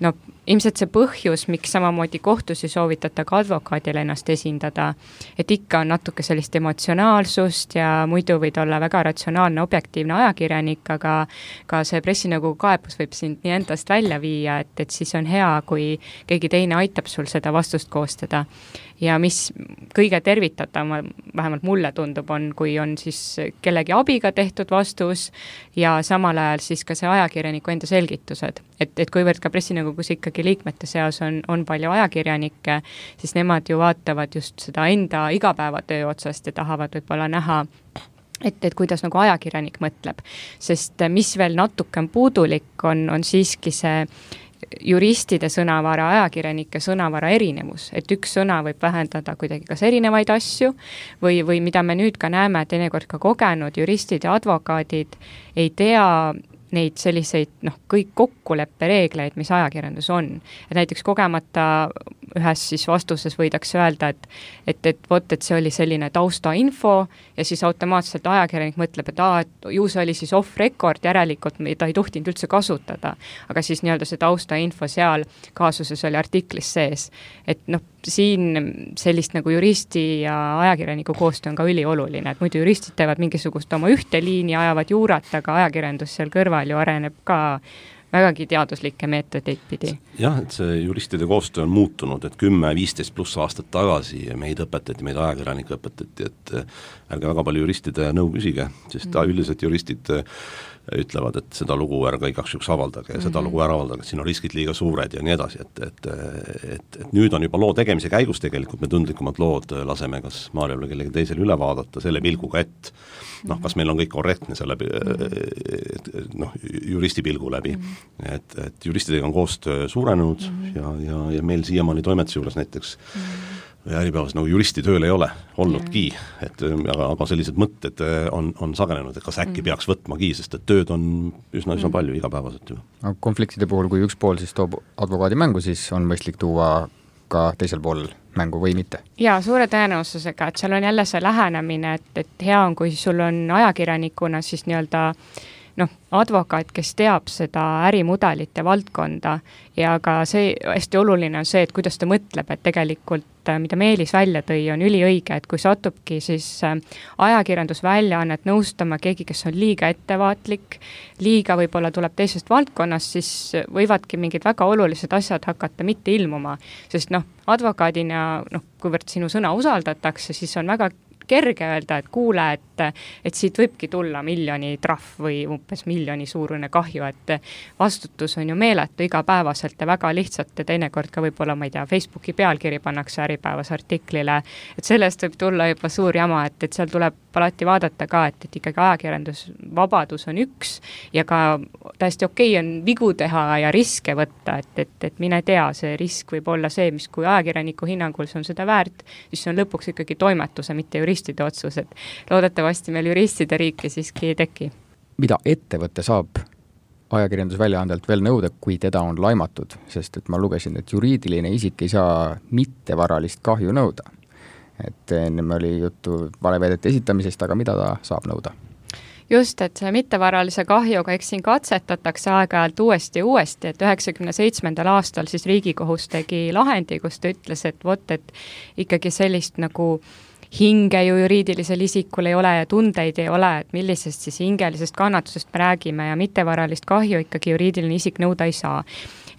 [SPEAKER 3] no ilmselt see põhjus, miks samamoodi kohtusi soovitada ka advokaadile ennast esindada, et ikka on natuke sellist emotsionaalsust ja muidu võid olla väga ratsionaalne, objektiivne ajakirjanik, aga ka see pressinõukogu kaebus võib sind nii endast välja viia, et, et siis on hea, kui keegi teine aitab sul seda vastust koostada. Ja mis kõige tervitatav, vähemalt mulle tundub, on, kui on siis kellegi abiga tehtud vastus ja samal ajal siis ka see ajakirjaniku enda selgitused. Et, et kuivõrd ka pressinõukogus ikkagi Riigikogugi liikmete seas on, on palju ajakirjanikke, siis nemad ju vaatavad just seda enda igapäevatöö otsast ja tahavad võib-olla näha, et, et kuidas nagu ajakirjanik mõtleb. Sest mis veel natuke on puudulik, on, on siiski see juristide sõnavara, ajakirjanike sõnavara erinevus, et üks sõna võib vähendada kuidagi kas erinevaid asju või, või mida me nüüd ka näeme, teinekord ka kogenud juristid ja advokaadid ei tea neid selliseid, noh, kõik kokkuleppereegleid, mis ajakirjandus on. Et näiteks kogemata ühes siis vastuses võidakse öelda, et, et, et vot, et see oli selline taustainfo ja siis automaatselt ajakirjanik mõtleb, et, aa, et ju see oli siis off-record, järelikult ta ei tohtinud üldse kasutada. Aga siis nii-öelda see taustainfo seal kaasuses oli artiklis sees. Et noh, siin sellist nagu juristi ja ajakirjaniku koostöö on ka ülioluline, et muidu juristid teevad mingisugust oma ühte liini, ajavad juurat, aga ajakirjandus seal kõrval ju areneb ka vägagi teaduslikke meetodeid pidi.
[SPEAKER 4] Jah, et see juristide koostöö on muutunud, et kümme, viisteist pluss aastat tagasi meid õpetati, meid ajakirjanikke õpetati, et ärge väga palju juristide nõu küsige, sest mm. üldiselt juristid ütlevad, et seda lugu ärge igaks juks avaldage ja mm-hmm. seda lugu ära avaldage, et siin on riskid liiga suured ja nii edasi, et, et, et, et nüüd on juba loo tegemise käigus tegelikult me tundlikumad lood laseme kas Maarjal või kellegi teisel üle vaadata selle pilguga, et noh, kas meil on kõik korrektne selle noh, juristi pilgu läbi, et, et juristidega on koostöö suurenenud ja, ja, ja meil siiamaani toimetuse juures näiteks ja äripäevas nagu juristi tööl ei ole olnudki, et aga, aga sellised mõtted on, on sagenenud, et kas äkki peaks võtmagi, sest et tööd on üsna, üsna palju igapäevaselt ju.
[SPEAKER 2] Konfliktide puhul, kui üks pool siis toob advokaadi mängu, siis on mõistlik tuua ka teisel pool mängu või mitte?
[SPEAKER 3] Jaa, suure tõenäosusega, et seal on jälle see lähenemine, et, et hea on, kui sul on ajakirjanikuna siis nii-öelda noh, advokaat, kes teab seda ärimudelite valdkonda ja ka see hästi oluline on see, et kuidas ta mõtleb, et tegelikult mida Meelis välja tõi, on üliõige, et kui satubki siis ajakirjandusväljaannet nõustama keegi, kes on liiga ettevaatlik, liiga võib-olla tuleb teisest valdkonnast, siis võivadki mingid väga olulised asjad hakata mitte ilmuma, sest noh, advokaadina, noh, kuivõrd sinu sõna usaldatakse, siis on väga kerge öelda, et kuule, et, et siit võibki tulla miljoni trahv või umbes miljoni suurune kahju, et vastutus on ju meeletu igapäevaselt ja väga lihtsalt ja teinekord ka võib-olla, ma ei tea, Facebooki pealkiri pannakse Äripäevas artiklile, et sellest võib tulla juba suur jama, et, et seal tuleb alati vaadata ka, et, et ikkagi ajakirjandusvabadus on üks ja ka täiesti okei on vigu teha ja riske võtta, et, et, et mine tea, see risk võib olla see, mis kui ajakirjaniku hinnangul see on seda väärt, siis see on lõpuks ikkagi toimetuse, mitte juristide otsus, et loodetavasti meil juristide riiki siiski ei teki.
[SPEAKER 2] Mida ettevõte saab ajakirjandusväljaandelt veel nõuda, kui teda on laimatud, sest et ma lugesin, et juriidiline isik ei saa mittevaralist kahju nõuda. Et enne oli juttu valeväidete esitamisest, aga mida ta saab nõuda?
[SPEAKER 3] Just, et see mittevaralise kahjuga, eks siin katsetatakse aeg-ajalt uuesti ja uuesti, et üheksakümne seitsmendal aastal siis Riigikohus tegi lahendi, kus ta ütles, et vot, et ikkagi sellist nagu hinge ju juriidilisel isikul ei ole ja tundeid ei ole, et millisest siis hingelisest kannatusest me räägime ja mittevaralist kahju ikkagi juriidiline isik nõuda ei saa.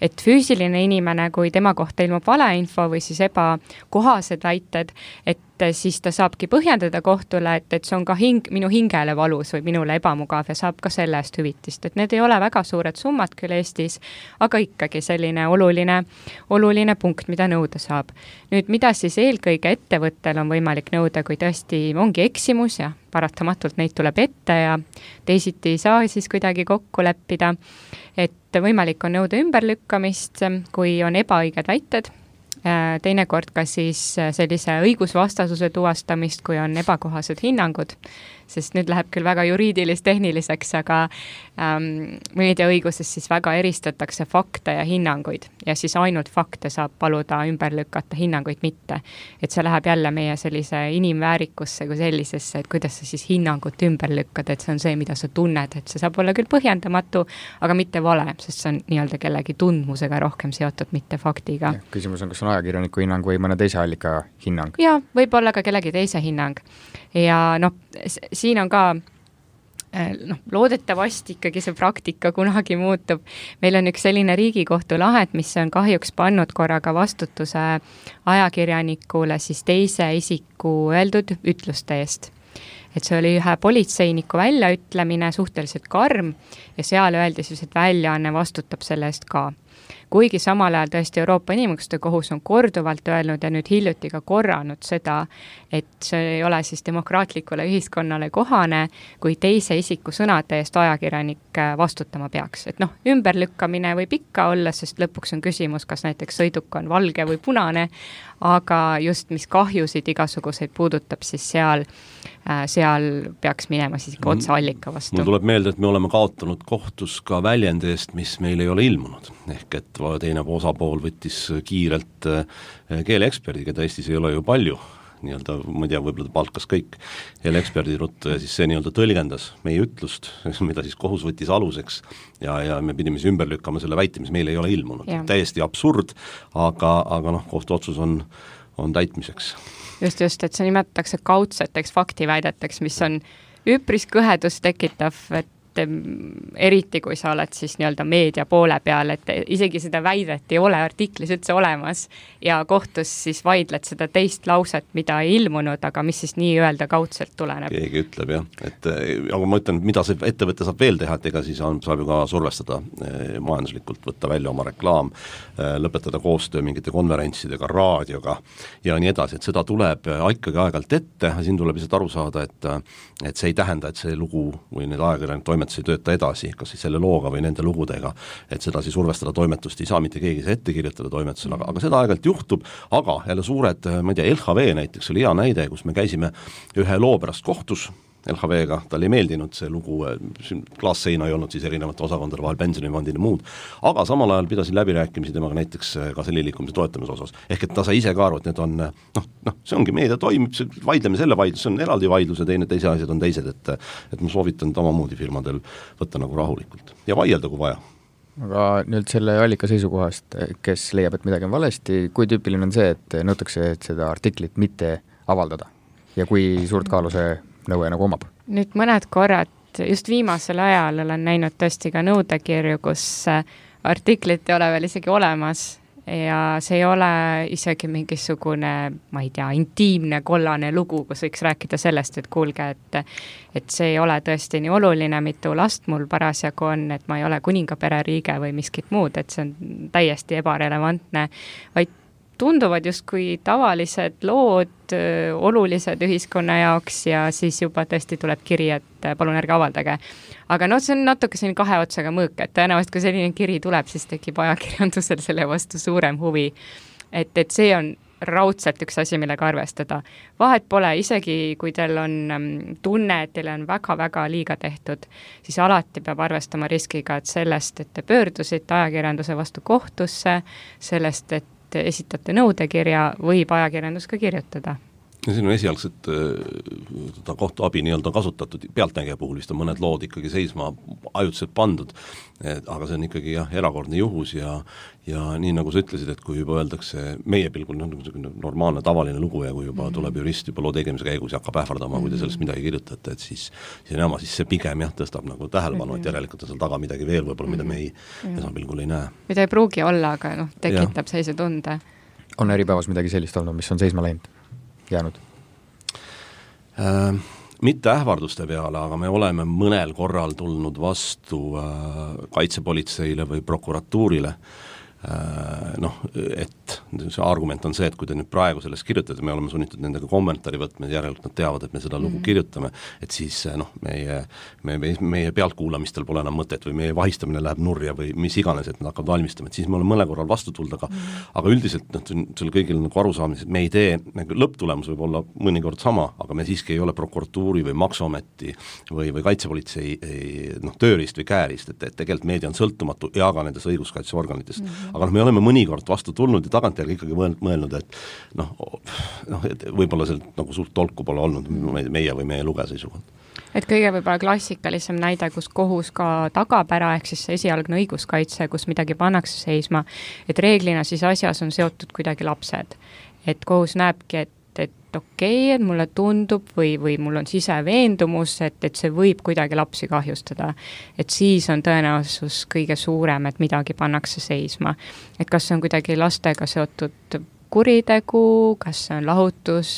[SPEAKER 3] Et füüsiline inimene, kui tema kohta ilmub valeinfo või siis ebakohased väited, et siis ta saabki põhjendada kohtule, et, et see on ka hing, minu hingele valus või minule ebamugav ja saab ka selle eest hüvitist. Et need ei ole väga suured summad küll Eestis, aga ikkagi selline oluline, oluline punkt, mida nõuda saab. Nüüd, mida siis eelkõige ettevõttel on võimalik nõuda, kui tõesti ongi eksimus ja paratamatult neid tuleb ette ja teisiti ei saa siis kuidagi kokku leppida, et võimalik on nõuda ümberlükkamist, kui on ebaõiged väited, teinekord ka siis sellise õigusvastasuse tuvastamist, kui on ebakohased hinnangud, sest nüüd läheb küll väga juriidilis-tehniliseks, aga ähm, meediaõiguses siis väga eristatakse fakte ja hinnanguid ja siis ainult fakte saab paluda ümber lükata, hinnanguid mitte. Et see läheb jälle meie sellise inimväärikusse kui sellisesse, et kuidas sa siis hinnangut ümber lükkad, et see on see, mida sa tunned, et see saab olla küll põhjendamatu, aga mitte vale, sest see on nii-öelda kellegi tundmusega rohkem seotud, mitte faktiga.
[SPEAKER 2] Ja, küsimus on, kas on ajakirjaniku hinnang või mõne teise allika hinnang?
[SPEAKER 3] Jaa, võib olla ka kellegi teise hinnang. Ja noh, siin on ka noh, loodetavasti ikkagi see praktika kunagi muutub. Meil on üks selline Riigikohtu lahend, mis on kahjuks pannud korraga vastutuse ajakirjanikule siis teise isiku öeldud ütluste eest. Et see oli ühe politseiniku väljaütlemine suhteliselt karm ja seal öeldi siis, et väljaanne vastutab selle eest ka. kuigi samal ajal tõesti Euroopa Inimõiguste Kohus on korduvalt öelnud ja nüüd hiljuti ka korranud seda, et see ei ole siis demokraatlikule ühiskonnale kohane, kui teise isiku sõnade eest ajakirjanik vastutama peaks. Et noh, ümberlükkamine võib ikka olla, sest lõpuks on küsimus, kas näiteks sõiduk on valge või punane, aga just mis kahjusid igasuguseid puudutab, siis seal, seal peaks minema siis ikka otse allika vastu.
[SPEAKER 4] Mul tuleb meelde, et me oleme kaotanud kohtus ka väljendi eest, mis meil ei ole ilmunud. Ehk et teine osapool võttis kiirelt keeleeksperdi, keda Eestis ei ole ju palju, nii-öelda, ma ei tea, võib-olla ta palkas kõik keeleeksperdi ruttu ja siis see nii-öelda tõlgendas meie ütlust, mida siis kohus võttis aluseks ja, ja me pidime siis ümber lükkama selle väite, mis meil ei ole ilmunud. Ja. Täiesti absurd, aga, aga noh, kohtuotsus on, on täitmiseks.
[SPEAKER 3] Just, just, et see nimetatakse kaudseteks faktiväideteks, mis on üpris kõhedust tekitav, et eriti kui sa oled siis nii-öelda meedia poole peal, et isegi seda väidet ei ole artiklis üldse olemas ja kohtus siis vaidled seda teist lauset, mida ei ilmunud, aga mis siis nii öelda kaudselt tuleneb.
[SPEAKER 4] Keegi ütleb jah, et aga ma ütlen, mida see ettevõte saab veel teha, et ega siis on, saab ju ka survestada majanduslikult, võtta välja oma reklaam, lõpetada koostöö mingite konverentsidega, raadioga ja nii edasi, et seda tuleb ikkagi aeg-ajalt ette, siin tuleb lihtsalt aru saada, et, et see ei tähenda, et see lugu või need ajakirjanik toimetus ei tööta edasi, kas siis selle looga või nende lugudega, et seda siis survestada toimetust ei saa mitte keegi see ette kirjutada toimetusele, aga, aga seda aeg-ajalt juhtub, aga jälle suured, ma ei tea, L H V näiteks oli hea näide, kus me käisime ühe loo pärast kohtus L H V-ga, tal ei meeldinud see lugu, klaasseina ei olnud siis erinevate osakondade vahel, pensionifondid ja muud, aga samal ajal pidasin läbirääkimisi temaga näiteks ka selle liikumise toetamise osas, ehk et ta sai ise ka aru, et need on, noh, noh, see ongi meedia toimib, vaidleme selle vaidlus, see on eraldi vaidlus ja teine, teise asjad on teised, et, et ma soovitan omamoodi firmadel võtta nagu rahulikult ja vaielda, kui vaja.
[SPEAKER 2] Aga nüüd selle allika seisukohast, kes leiab, et midagi on valesti, kui tüüpiline on see, et nõutakse et seda artiklit mitte avaldada ja kui suurt kaalu see nõue nagu omab?
[SPEAKER 3] Nüüd mõned korrad, just viimasel ajal olen näinud tõesti ka nõudekirju, kus artiklit ei ole veel isegi olemas ja see ei ole isegi mingisugune, ma ei tea, intiimne kollane lugu, kus võiks rääkida sellest, et kuulge, et, et see ei ole tõesti nii oluline, mitu last mul parasjagu on, et ma ei ole kuningapere riige või miskit muud, et see on täiesti ebarelevantne, vaid tunduvad justkui tavalised lood, olulised ühiskonna jaoks ja siis juba tõesti tuleb kiri, et palun ärge avaldage. Aga no see on natuke selline kahe otsaga mõõk, et tõenäoliselt kui selline kiri tuleb, siis tekib ajakirjandusel selle vastu suurem huvi. Et, et see on raudselt üks asi, millega arvestada. Vahet pole, isegi kui teil on tunne, et teil on väga-väga liiga tehtud, siis alati peab arvestama riskiga, et sellest, et te pöördusite ajakirjanduse vastu kohtusse, sellest, et esitate nõudekirja, võib ajakirjandus ka kirjutada.
[SPEAKER 4] Ja siin on esialgset äh, kohtuabi nii-öelda kasutatud, pealtnägija puhul vist on mõned lood ikkagi seisma ajutiselt pandud, et, aga see on ikkagi jah, erakordne juhus ja, ja nii nagu sa ütlesid, et kui juba öeldakse meie pilgul no, normaalne tavaline lugu ja kui juba mm-hmm. tuleb jurist juba loo tegemise käigus ja hakkab ähvardama mm-hmm. kui te sellest midagi kirjutate, et siis, siis, enama, siis see pigem jah, tõstab nagu tähelepanu mm-hmm. et järelikult on seal taga midagi veel võib-olla, mida me ei mm-hmm. esapilgul ei näe.
[SPEAKER 3] Mida ei pruugi olla, aga noh, tekitab ja. Seise tunde.
[SPEAKER 2] On äripäevas midagi sellist olnud, mis on seisma läinud? Jäänud?
[SPEAKER 4] Äh, mitte ähvarduste peale, aga me oleme mõnel korral tulnud vastu äh, kaitsepolitseile või prokuratuurile äh, noh, et see argument on see, et kui te nüüd praegu sellest kirjutate, me oleme sunnitud nendega kommentaari võtma, järelikult nad teavad, et me seda lugu mm-hmm. kirjutame, et siis noh, meie, meie, meie pealtkuulamistel pole enam mõtet või meie vahistamine läheb nurja või mis iganes, et nad hakkavad valmistama, et siis me oleme mõne korral vastu tulda, aga, mm-hmm. aga üldiselt noh, selle kõigil nagu arusaamises, et me ei tee, nagu lõpptulemus võib olla mõnikord sama, aga me siiski ei ole prokuratuuri või maksuameti või, või kaitsepolitsei noh, tööriist või käärist, et, et tegelikult meedia on sõltumatu ja ka nendes õiguskaitseorganitest, mm-hmm. aga noh, me oleme mõnikord vastu tulnud ja tagantjärgi ikkagi mõelnud, et noh, noh, et võib-olla sealt nagu suurt tolku pole olnud meie või meie lugeja seisukohalt.
[SPEAKER 3] Et kõige võib-olla klassikalisem näide, kus kohus ka tagab ära, ehk siis esialgne õiguskaitse, kus midagi pannakse seisma, et reeglina siis asjas on seotud kuidagi lapsed. Et kohus näebki, et et okei, okay, et mulle tundub või, või mul on siseveendumus, et, et see võib kuidagi lapsi kahjustada. Et siis on tõenäosus kõige suurem, et midagi pannakse seisma. Et kas see on kuidagi lastega seotud kuritegu, kas see on lahutus,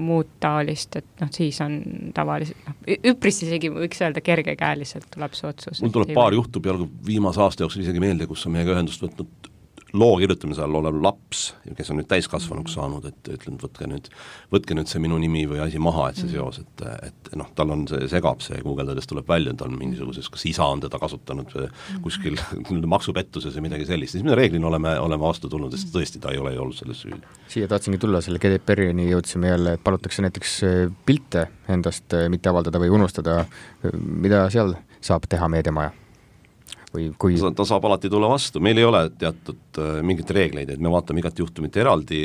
[SPEAKER 3] muud taolist, et noh, siis on tavaliselt, noh, üpris isegi võiks öelda kergekäeliselt tuleb see otsus.
[SPEAKER 4] Mul tuleb paar juhtub jalgu viimase aasta jooksul isegi meelde, kus on meiega ühendust võtnud loo kirjutamise all olev laps, kes on nüüd täiskasvanuks saanud, et ütlen, võtke nüüd, võtke nüüd see minu nimi või asi maha, et see seos, et, et noh, tal on see, segab see guugeldades tuleb välja, tal on mingisuguses, kas isa on teda kasutanud kuskil maksupettuses või midagi sellist, siis me reeglina oleme, oleme vastu tulnud, sest tõesti ta ei ole olnud selles süüd.
[SPEAKER 2] Siia tahtsingi tulla, selle G D P R-ini jõudsime jälle, et palutakse näiteks pilte endast mitte avaldada või unustada, mida seal saab teha meediamaja? Või kui... ta,
[SPEAKER 4] ta saab alati tulla vastu, meil ei ole teatud äh, mingit reegleid, et me vaatame igat juhtumit eraldi,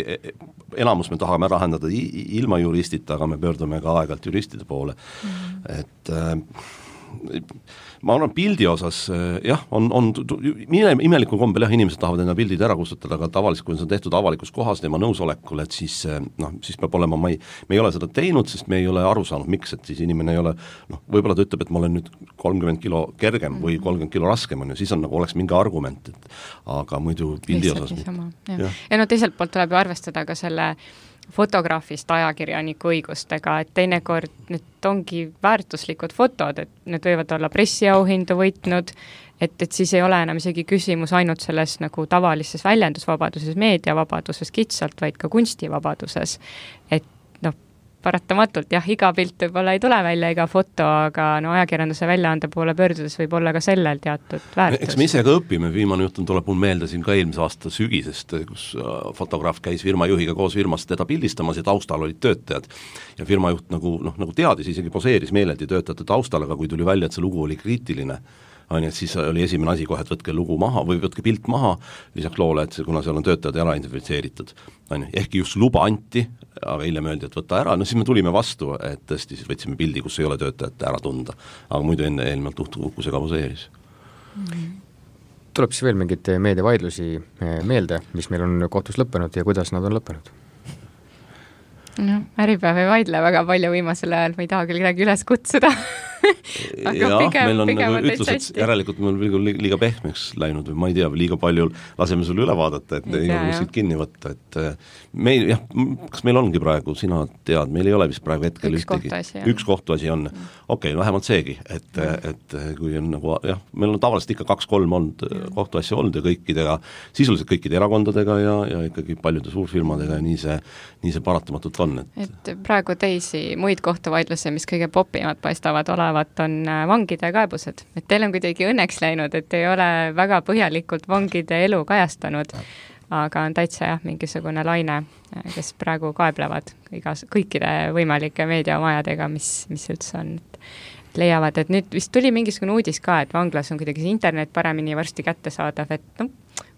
[SPEAKER 4] enamus me tahame lahendada ilma juristita, aga me pöördume ka aeg-ajalt juristide poole, mm-hmm. et äh, ma arvan, pildi osas jah, on, on imelikul kombel jah, inimesed tahavad enda pildid ära kustutada, aga tavaliselt, kui see on tehtud avalikus kohas tema nõusolekul, et siis noh, siis peab olema, ma ei, me ei ole seda teinud, sest me ei ole aru saanud, miks, et siis inimene ei ole, noh, võib-olla ta ütleb, et ma olen nüüd kolmkümmend kilo kergem või kolmkümmend kilo raskem on ju, siis on nagu oleks mingi argument, et aga muidu pildi osas
[SPEAKER 3] ja. Ja. ja no teiselt poolt tuleb ju arvestada ka selle fotograafist ajakirjaniku õigustega, et teinekord need ongi väärtuslikud fotod, et need võivad olla pressiauhindu võitnud, et, et siis ei ole enam isegi küsimus ainult selles nagu tavalises väljendusvabaduses, meediavabaduses kitsalt, vaid ka kunstivabaduses. Et noh, paratamatult jah, iga pilt võib-olla ei tule välja, iga foto, aga no ajakirjanduse väljaande poole pöördudes võib olla ka sellel teatud väärtus.
[SPEAKER 4] Eks me ise ka õpime, viimane juhtum tuleb mul meelde siin ka eelmise aasta sügisest, kus fotograaf käis firmajuhiga koos firmast teda pildistamas ja taustal olid töötajad. Ja firmajuht nagu, noh, nagu teadis, isegi poseeris meeleldi töötajate taustal, aga kui tuli välja, et see lugu oli kriitiline, on, et siis oli esimene asi kohe, et võtke lugu maha või võtke pilt maha, lisaks loole, et see, kuna seal on töötajad ära identifitseeritud, on, ehkki just luba anti, aga hiljem öeldi, et võtta ära, no siis me tulime vastu, et tõesti siis võtsime pildi, kus ei ole töötajat ära tunda, aga muidu enne eelmalt uhkusega poseeris.
[SPEAKER 3] Mm-hmm.
[SPEAKER 2] Tuleb siis veel mingid meediavaidlusi meelde, mis meil on kohtus lõppenud ja kuidas nad on lõppenud?
[SPEAKER 3] No, Äripäev ei vaidle väga palju viimasel ajal, ma ei taha küll kedagi üles kutsuda.
[SPEAKER 4] Aga jah, pigem, meil on nagu ütlus, et järelikult meil on liiga pehmeks läinud või ma ei tea, liiga palju laseme sulle üle vaadata, et ei, ei ole kuskilt kinni võtta, et meil, jah, kas meil ongi praegu, sina tead, meil ei ole vist praegu hetkel
[SPEAKER 3] üks
[SPEAKER 4] ühtegi,
[SPEAKER 3] kohtuasi,
[SPEAKER 4] üks kohtuasi on, mm. okei, okay, vähemalt seegi, et, mm. et kui on nagu, jah, meil on tavaliselt ikka kaks-kolm olnud mm. kohtuasja olnud ja kõikidega, sisuliselt kõikide erakondadega ja, ja ikkagi paljude suurfirmadega ja nii see, nii see paratamatult on.
[SPEAKER 3] Et, et praegu teisi muid kohtuvaidlusi, mis kõige popimad paistavad olevat, on vangide kaebused. Et teil on kuidagi õnneks läinud, et ei ole väga põhjalikult vangide elu kajastanud, aga on täitsa jah, mingisugune laine, kes praegu kaeblevad igas, kõikide võimalike meediamajadega, mis, mis üldse on. Et leiavad, et nüüd vist tuli mingisugune uudis ka, et vanglas on kuidagi internet paremini varsti kätte saadav, et noh,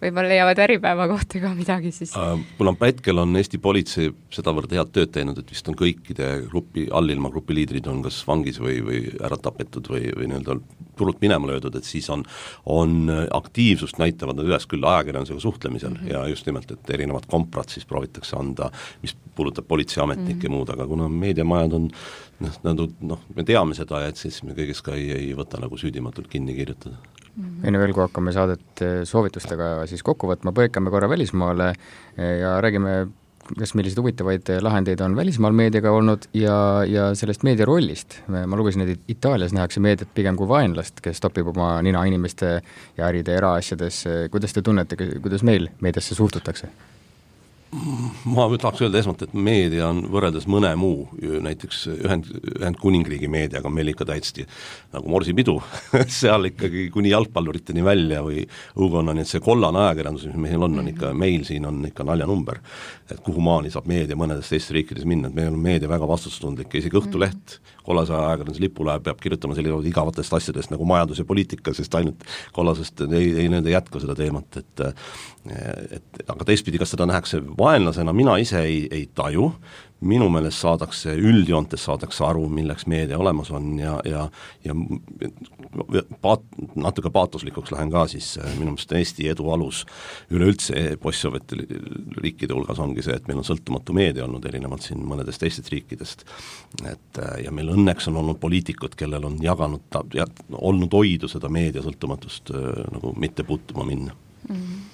[SPEAKER 3] võib-olla leiavad Äripäeva kohta ka midagi siis.
[SPEAKER 4] Kuna hetkel on Eesti politsei sedavõrd head tööd teinud, et vist on kõikide grupi, allilma grupi liidrid on kas vangis või, või ära tapetud või, või nii-öelda turult minema löödud, et siis on, on aktiivsust näitavad nad üles küll ajakirjandusega suhtlemisel mm -hmm. ja just nimelt, et erinevad komprad siis proovitakse anda, mis puudutab politseiametnikke mm -hmm. ja muud, aga kuna meediamajad on noh, noh, me teame seda, et siis me kõigest ka ei, ei võta nagu süüdimatult kinni kirjutada.
[SPEAKER 2] Mm-hmm. Enne veel, kui hakkame saadet soovitustega siis kokku võtma, põikame korra välismaale ja räägime, kas millised huvitavaid lahendeid on välismaal meediaga olnud ja, ja sellest meedia rollist. Ma lugesin, et Itaalias nähakse meediat pigem kui vaenlast, kes topib oma nina inimeste ja äride eraasjades. Kuidas te tunnete, kuidas meil meediasse suhtutakse?
[SPEAKER 4] Ma tahaks öelda esmalt, et meedia on võrreldes mõne muu, näiteks ühend, Ühendkuningriigi meediaga meil ikka täitsti nagu morsipidu, seal ikkagi kuni jalgpalluriteni välja või õukonnani, et see kollane ajakirjandus, mis meil on, on ikka, meil siin on ikka naljanumber, et kuhu maani saab meedia mõnedes teistes riikides minna, et meil on meedia väga vastutustundlik, isegi Õhtuleht kollase ajakirjanduse lipule peab kirjutama sellised igavatest asjadest nagu majandus ja poliitika, sest ainult kollasest ei, ei nende jätku seda teemat, et, et aga teistpidi, kas seda nähakse vaenlasena, mina ise ei, ei taju, minu meelest saadakse, üldjoontes saadakse aru, milleks meedia olemas on ja, ja, ja paat, natuke paatoslikuks lähen ka siis, minu meelest Eesti edu alus üleüldse post-soovjeti riikide hulgas ongi see, et meil on sõltumatu meedia olnud erinevalt siin mõnedest teistest riikidest, et ja meil õnneks on olnud poliitikud, kellel on jaganud, ja olnud hoidu seda meedia sõltumatust nagu mitte puutuma minna.
[SPEAKER 3] Mm-hmm.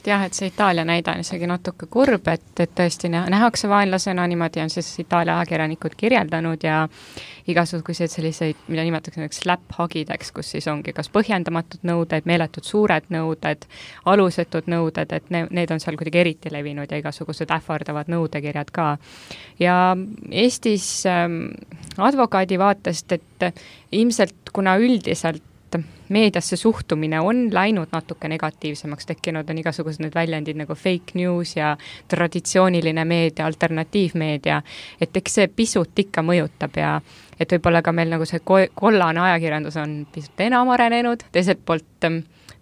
[SPEAKER 3] jah, et see Itaalia näide on isegi natuke kurb, et, et tõesti nähakse vaenlasena, niimoodi on siis Itaalia ajakirjanikud kirjeldanud ja igasuguseid selliseid, mida nimetatakse slap-hagideks, kus siis ongi kas põhjendamatud nõuded, meeletud suured nõuded, alusetud nõuded, et ne, need on seal kuidagi eriti levinud ja igasugused ähvardavad nõudekirjad ka. Ja Eestis ähm, advokaadi vaatest, et ilmselt kuna üldiselt meediasse suhtumine on läinud natuke negatiivsemaks, tekkinud on igasugused need väljendid nagu fake news ja traditsiooniline meedia, alternatiivmeedia, et eks see pisut ikka mõjutab ja et võib-olla ka meil nagu see kollane ajakirjandus on pisut enam arenenud, teiselt poolt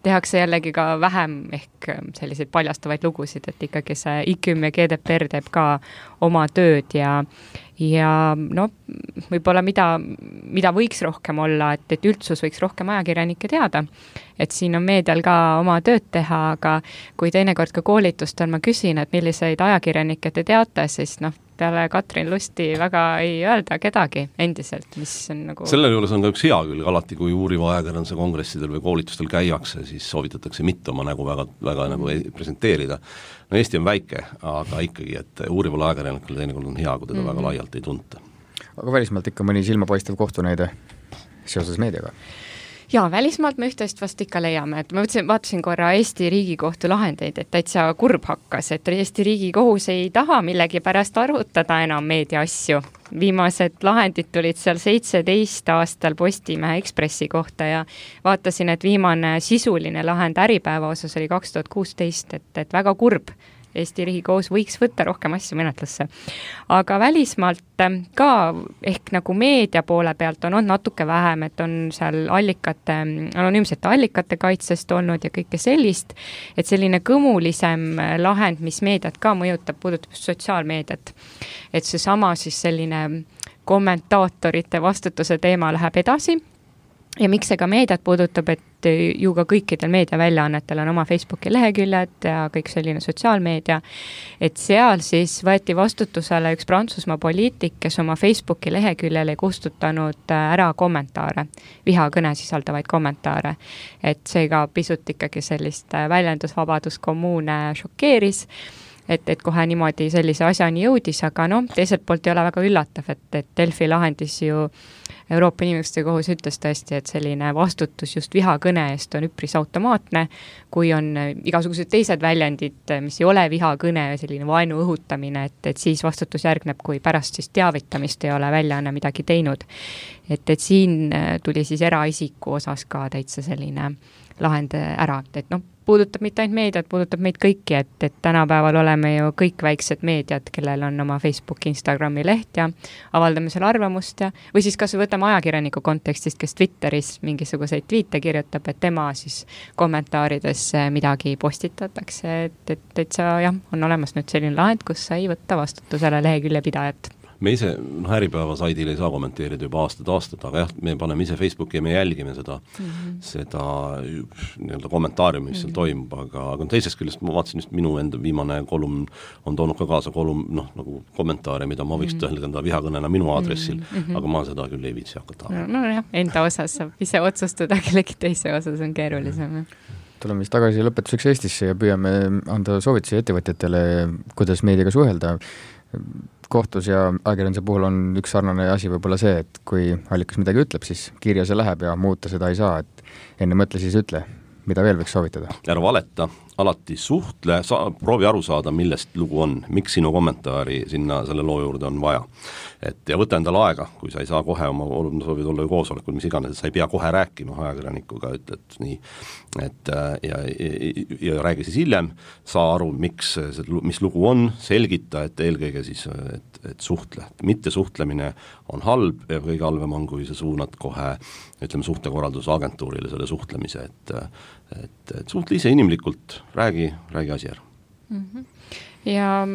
[SPEAKER 3] tehakse jällegi ka vähem ehk selliseid paljastavaid lugusid, et ikkagi see I K M ja G D P R teeb ka oma tööd ja ja no võib-olla mida, mida võiks rohkem olla, et, et üldsus võiks rohkem ajakirjanikke teada, et siin on meedial ka oma tööd teha, aga kui teinekord ka koolitustel ma küsin, et milliseid ajakirjanikke te teate, siis noh, peale Katrin Lusti väga ei öelda kedagi endiselt, mis on nagu... Selle
[SPEAKER 4] juures on ka üks hea külg, alati kui uuriva ajakirjanduse kongressidel või koolitustel käiakse, siis soovitatakse mitte oma nägu väga, väga mm. nagu presenteerida. No Eesti on väike, aga ikkagi, et uurival ajakirjanikul teinekord on hea, kui teda mm. väga laialt ei tunta.
[SPEAKER 2] Aga välismaalt ikka mõni silmapaistev kohtunäide seoses meediaga?
[SPEAKER 3] Jaa, välismaalt me üht-teist vast ikka leiame, et ma võtsin, vaatasin korra Eesti Riigikohtu lahendeid, et täitsa kurb hakkas, et Eesti Riigikohus ei taha millegi pärast arutada enam meedia asju. Viimased lahendid tulid seal seitseteist aastal Postimehe Ekspressi kohta ja vaatasin, et viimane sisuline lahend Äripäeva osas oli kaks tuhat kuusteist, et, et väga kurb. Eesti Riigikohus võiks võtta rohkem asju menetlusse. Aga välismaalt ka ehk nagu meedia poole pealt on, on natuke vähem, et on seal allikate, anonüümsete allikate kaitsest olnud ja kõike sellist, et selline kõmulisem lahend, mis meediat ka mõjutab, puudutab sotsiaalmeediat. Et see sama siis selline kommentaatorite vastutuse teema läheb edasi. Ja miks see ka meediat puudutab, et ju ka kõikidel meediaväljaannetel on oma Facebooki leheküljed ja kõik selline sotsiaalmeedia, et seal siis võeti vastutusele üks Prantsusmaa poliitik, kes oma Facebooki leheküljel ei kustutanud ära kommentaare, vihakõne sisaldavaid kommentaare, et see ka pisut ikkagi sellist väljendusvabaduskommuune šokeeris, et, et kohe niimoodi sellise asjani jõudis, aga noh, teiselt poolt ei ole väga üllatav, et, et Delfi lahendis ju Euroopa Inimõiguste Kohus ütles tõesti, et selline vastutus just vihakõne eest on üpris automaatne, kui on igasugused teised väljendid, mis ei ole vihakõne ja selline vaenu õhutamine, et, et siis vastutus järgneb, kui pärast siis teavitamist ei ole väljaanne midagi teinud. Et, et siin tuli siis eraisiku osas ka täitsa selline lahend ära, et noh, puudutab mitte ainult meediat, puudutab meid kõiki, et, et tänapäeval oleme ju kõik väiksed meediad, kellel on oma Facebook, Instagrami leht ja avaldame seal arvamust ja, või siis kas võtame ajakirjaniku kontekstist, kes Twitteris mingisuguseid tweete kirjutab, et tema siis kommentaarides midagi postitatakse, et, et, et see jah, on olemas nüüd selline lahend, kus sai võtta vastutusele lehekülje pidajat.
[SPEAKER 4] Me ise, noh, Äripäeva saidil ei saa kommenteerida juba aastad aastad, aga jah, me paneme ise Facebooki ja me jälgime seda, mm-hmm. seda nii-öelda kommentaariumi, mis seal mm-hmm. toimub, aga, aga teisest küljest ma vaatasin just minu enda viimane kolum on toonud ka kaasa kolum, noh, nagu kommentaare, mida ma võiks mm-hmm. tõhendada vihakõnena minu aadressil, mm-hmm. aga ma seda küll ei viitsi hakata.
[SPEAKER 3] No, no jah, enda osas saab ise otsustada, kellegi teise osas on keerulisem.
[SPEAKER 2] Tuleme siis tagasi lõpetuseks Eestisse ja püüame anda soovitusi ettevõtjatele, kuidas meediaga suhelda. Kohtus ja ajakirjanduse puhul on üks sarnane asi võib-olla see, et kui allikas midagi ütleb, siis kirja see läheb ja muuta seda ei saa, et enne mõtle siis ütle, mida veel võiks soovitada.
[SPEAKER 4] Ära valeta, alati suhtle, sa, proovi aru saada, millest lugu on, miks sinu kommentaari sinna selle loo juurde on vaja. Et, ja võta endale aega, kui sa ei saa kohe oma soovid olla ju koosolekul, mis iganes, et sa ei pea kohe rääkima ajakirjanikuga, et, et nii, et ja, ja, ja räägi siis hiljem, saa aru, miks, mis lugu on, selgita, et eelkõige siis, et, et suhtle. Mitte suhtlemine on halb ja kõige halvem on, kui sa suunad kohe, ütleme, suhtekorraldusagentuurile selle suhtlemise, et, et, et suhtle ise inimlikult, räägi, räägi asi ära.
[SPEAKER 3] Mm-hmm. Ja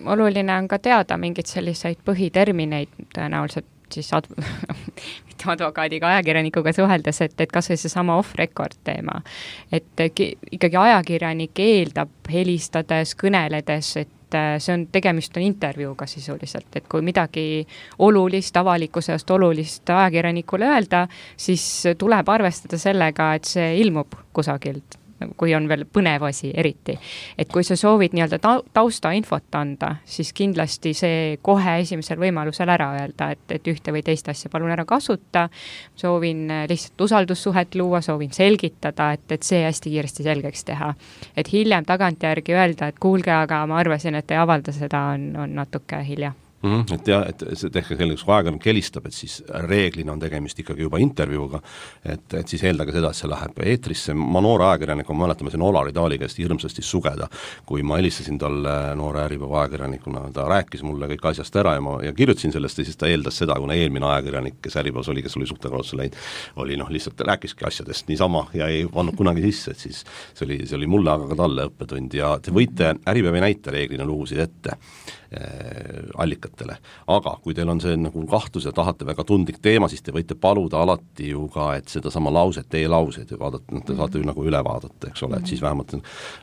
[SPEAKER 3] oluline on ka teada mingeid selliseid põhitermineid tõenäoliselt siis ad- mitte advokaadiga, ajakirjanikuga suheldes, et, et kas või see sama off-record teema. Et ikkagi ajakirjanik eeldab helistades, kõneledes, et see on, tegemist on intervjuuga sisuliselt, et kui midagi olulist, avalikkusest olulist ajakirjanikule öelda, siis tuleb arvestada sellega, et see ilmub kusagilt kui on veel põnev asi eriti. Et kui sa soovid nii-öelda ta tausta infot anda, siis kindlasti see kohe esimesel võimalusel ära öelda, et, et ühte või teist asja palun ära kasuta, soovin lihtsalt usaldussuhet luua, soovin selgitada, et, et see hästi kiiresti selgeks teha. Et hiljem tagantjärgi öelda, et kuulge, aga ma arvasin, et ei avalda seda, on, on natuke hilja.
[SPEAKER 4] Mm -hmm. Et jah, et see tehke selliseks, kui ajakirjanik helistab, et siis reeglina on tegemist ikkagi juba intervjuuga, et, et siis eeldaga seda, et see läheb eetrisse. Ma noore ajakirjanik, ma mäletan, ma siin Olari Taali käest hirmsasti sugeda, kui ma helistasin talle noore Äripäeva ajakirjanikuna, ta rääkis mulle kõik asjast ära ja ma ja kirjutasin sellest ja siis ta eeldas seda, kuna eelmine ajakirjanik, kes Äripäevas oli, kes oli suhtekorralduse läinud, oli noh, lihtsalt rääkiski asjadest niisama ja ei pannud kunagi sisse, et siis see oli, see oli mulle, aga ka talle õppetund ja te võite Äripäeva näite reeglina lugusid ette allikatele, aga kui teil on see nagu kahtlus ja tahate väga tundlik teema, siis te võite paluda alati ju ka, et seda sama lauset, teie lauseid ja vaadata, te saate ju nagu üle vaadata, eks ole, et siis vähemalt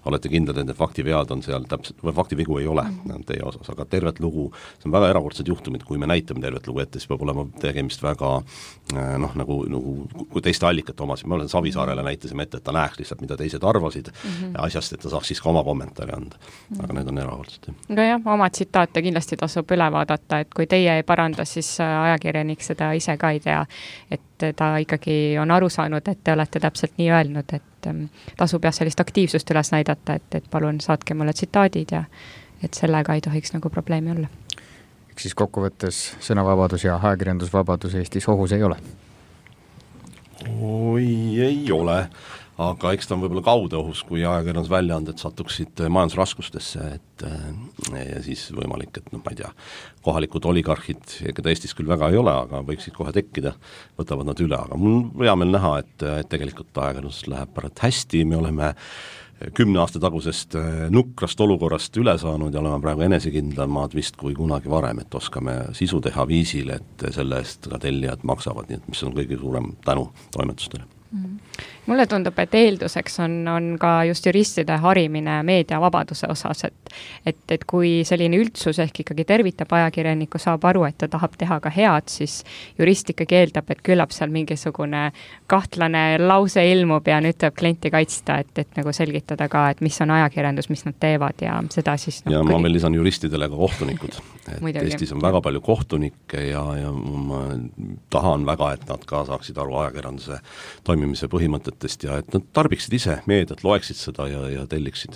[SPEAKER 4] olete kindlad, et need faktivead on seal täpselt, või faktivigu ei ole teie osas, aga tervet lugu, see on väga erakordsed juhtumid, kui me näitame tervet lugu ette, siis peab olema tegemist väga noh, nagu, nagu kui teiste allikate omasid, me olen Savisaarele näitasime ette, et ta näeks lihtsalt, mida teised arvasid mm -hmm. asjast, et ta saaks siis ka oma kommentaari anda, aga need on erakordsed.
[SPEAKER 3] aga jah, oma tsitaate kindlasti tasub üle vaadata, et kui teie ei paranda, siis ajakirjanik seda ise ka ei tea, et ta ikkagi on aru saanud, et te olete täpselt nii öelnud, et tasub jah sellist aktiivsust üles näidata, et, et palun saatke mulle tsitaadid ja et sellega ei tohiks nagu probleemi olla.
[SPEAKER 2] Eks siis kokkuvõttes sõnavabadus ja ajakirjandusvabadus Eestis ohus ei ole?
[SPEAKER 4] Oi, ei ole, aga eks ta on võib-olla kaude ohus, kui ajakirjandusväljaanded satuksid majandusraskustesse, et ja siis võimalik, et noh, ma ei tea, kohalikud oligarhid, keda Eestis küll väga ei ole, aga võiksid kohe tekkida, võtavad nad üle, aga mul on hea meel näha, et, et tegelikult ajakirjandus läheb pärast hästi, me oleme kümne aasta tagusest nukrast olukorrast üle saanud ja oleme praegu enesekindlamad vist kui kunagi varem, et oskame sisu teha viisil, et selle eest ka tellijad maksavad, nii et mis on kõige suurem tänu toimetustele.
[SPEAKER 3] Mm. Mulle tundub, et eelduseks on, on ka just juristide harimine meediavabaduse osas, et, et, et kui selline üldsus ehk ikkagi tervitab ajakirjanikku, saab aru, et ta tahab teha ka head, siis jurist ikkagi eeldab, et küllap seal mingisugune kahtlane lause ilmub ja nüüd tuleb klienti kaitsta, et, et nagu selgitada ka, et mis on ajakirjandus, mis nad teevad ja seda siis no,
[SPEAKER 4] ja kõige... ma veel lisan juristidele ka kohtunikud, et Muidugi. Eestis on väga palju kohtunikke ja, ja ma tahan väga, et nad ka saaksid aru ajakirjanduse toimimise põhimõtet ja et nad tarbiksid ise meediat, loeksid seda ja, ja telliksid.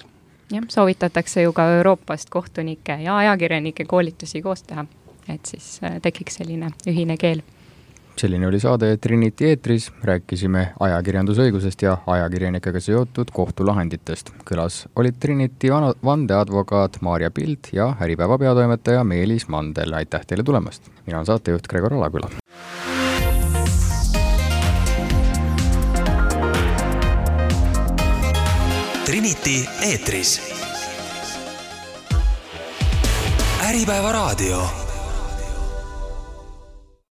[SPEAKER 3] Jah, soovitatakse ju ka Euroopast kohtunike ja ajakirjanike koolitusi koos teha, et siis tekiks selline ühine keel.
[SPEAKER 2] Selline oli saade Trinity eetris, rääkisime ajakirjandusõigusest ja ajakirjanikega seotud kohtulahenditest. Kõlas olid Trinity vandeadvokaat Maarja Pild ja Äripäeva peatoimetaja Meelis Mandel. Aitäh teile tulemast! Mina on saatejuht Gregor Alaküla.
[SPEAKER 1] Trinity eetris. Äripäeva raadio.